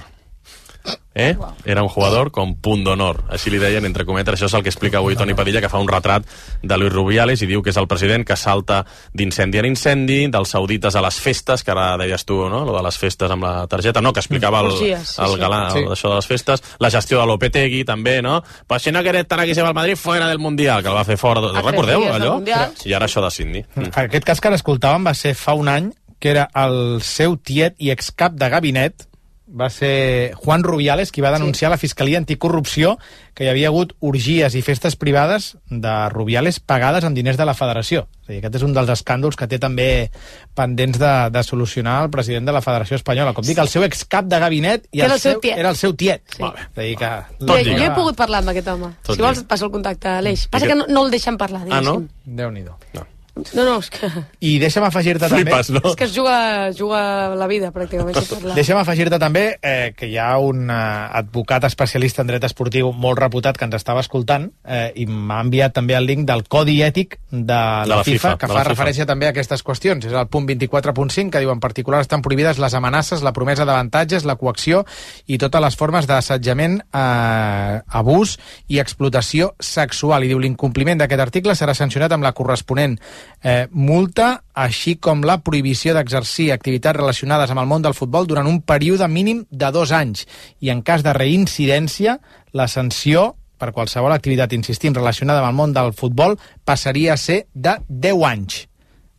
Eh? Era un jugador com punt d'honor, així li deien entre cometes. Això és el que explica avui Toni Padilla, que fa un retrat de Luis Rubiales i diu que és el president que salta d'incendi en incendi, dels saudites a les festes, que ara deies tu, no?, lo de les festes amb la targeta, no?, que explicava el, Orgies, sí, el sí. galà, Sí. això de les festes, la gestió de Lopetegui també, no?, pues si no quieres estar aquí se va al Madrid fuera del Mundial, que el va fer fora, de... A tres recordeu dies del allò? Mundial. I ara això de Sydney. Mm. Aquest cas que ara escoltàvem va ser fa un any, que era el seu tiet i excap de gabinet, va ser Juan Rubiales, qui va denunciar sí. a la Fiscalia Anticorrupció que hi havia hagut orgies i festes privades de Rubiales pagades amb diners de la Federació. És a dir, aquest és un dels escàndols que té també pendents de, de solucionar el president de la Federació Espanyola. Com dic, el seu excap de gabinet i Que era el el seu seu, tiet. era el seu tiet. Sí. Molt bé. És a dir, que... Jo, jo he pogut parlar amb aquest home. Tot si vols, lliure. et passo el contacte, Aleix. Passa I que que- no, no el deixen parlar, Ah, no? diguéssim. Déu-n'hi-do. No. No, no, és que... I deixa'm afegir-te també... Flipes, no? És que es juga, juga la vida, pràcticament, si parla. Deixa'm afegir-te també eh, que hi ha un eh, advocat especialista en dret esportiu molt reputat que ens estava escoltant eh, i m'ha enviat també el link del Codi Ètic de la, la FIFA, FIFA, que de fa la FIFA. referència també a aquestes qüestions. És el punt vint-i-quatre punt cinc, que diu en particular estan prohibides les amenaces, la promesa d'avantatges, la coacció i totes les formes d'assetjament, eh, abús i explotació sexual. I diu l'incompliment d'aquest article serà sancionat amb la corresponent eh, multa, així com la prohibició d'exercir activitats relacionades amb el món del futbol durant un període mínim de dos anys. I en cas de reincidència, la sanció per qualsevol activitat, insistim, relacionada amb el món del futbol passaria a ser de deu anys.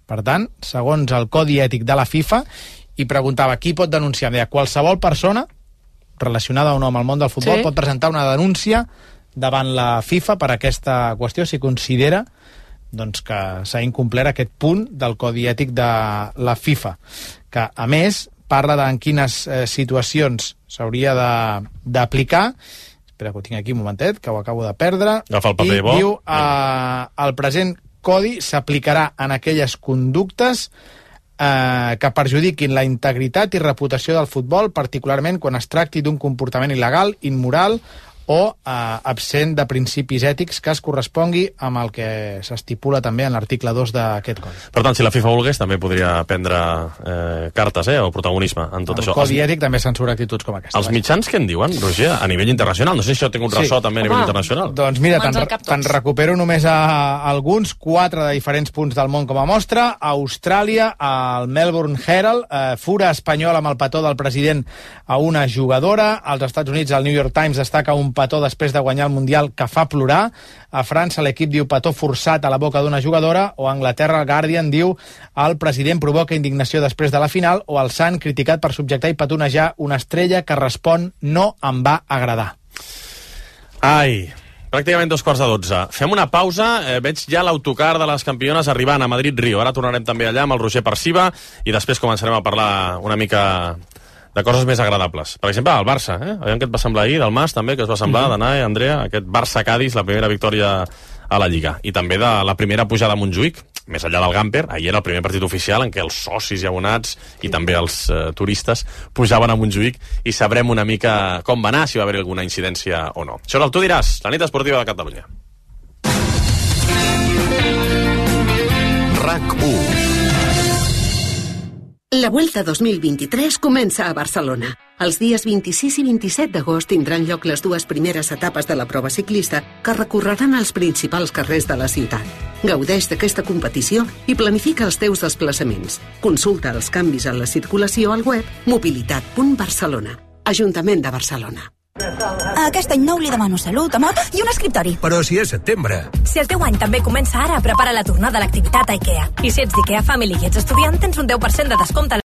Per tant, segons el Codi Ètic de la FIFA, i preguntava qui pot denunciar. Deia, qualsevol persona relacionada o no amb el món del futbol Sí. pot presentar una denúncia davant la FIFA per aquesta qüestió si considera doncs, que s'ha incomplert aquest punt del Codi Ètic de la FIFA, que a més parla de en quines eh, situacions s'hauria de- d'aplicar. Espera que ho tinc aquí un momentet, que ho acabo de perdre. Agafa el paper I bo. diu eh, el present codi s'aplicarà en aquelles conductes eh, que perjudiquin la integritat i reputació del futbol, particularment quan es tracti d'un comportament il·legal, immoral o eh, absent de principis ètics que es correspongui amb el que s'estipula també en l'article dos d'aquest codi. Per tant, si la FIFA volgués, també podria prendre eh, cartes, eh, o protagonisme en tot El això. codi Els, ètic també censura actituds com aquesta. els mitjans què en diuen, Roger, a nivell internacional? No sé si això té un ressò també a nivell internacional. Doncs mira, Mans te'n al cap tots. te'n recupero només a alguns, quatre de diferents punts del món com a mostra. A Austràlia, al Melbourne Herald, eh, fura espanyol amb el petó del president a una jugadora. Als Estats Units, el New York Times destaca un petó després de guanyar el Mundial que fa plorar. A França l'equip diu petó forçat a la boca d'una jugadora, o a Anglaterra el Guardian diu el president provoca indignació després de la final, o el Sant criticat per subjectar i petonejar una estrella que respon no em va agradar. Ai, pràcticament dos quarts de dotze. Fem una pausa, eh, veig ja l'autocar de les campiones arribant a Madrid-Rio. Ara tornarem també allà amb el Roger Perciba i després començarem a parlar una mica de coses més agradables. Per exemple, el Barça, eh? Aviam què et va semblar ahir, del Mas també, que es va semblar, mm-hmm. d'anar, eh, Andrea, aquest Barça-Cádiz, la primera victòria a la Lliga. I també de la primera pujada a Montjuïc, més enllà del Gamper. Ahir era el primer partit oficial en què els socis i abonats i també els eh, turistes pujaven a Montjuïc i sabrem una mica com va anar, si va haver alguna incidència o no. Això és el Tu diràs, la nit esportiva de Catalunya. RAC u. La Vuelta dos mil vint-i-tres comença a Barcelona. Els dies vint-i-sis i vint-i-set d'agost tindran lloc les dues primeres etapes de la prova ciclista que recorreran els principals carrers de la ciutat. Gaudeix d'aquesta competició i planifica els teus desplaçaments. Consulta els canvis en la circulació al web mobilitat punt barcelona. Ajuntament de Barcelona. Aquest any nou li demano salut, amor i un escriptori. Però si és setembre. Si el teu any també comença ara, prepara la tornada a l'activitat a IKEA. I si ets d'IKEA Family i ets estudiant, tens un deu per cent de descompte.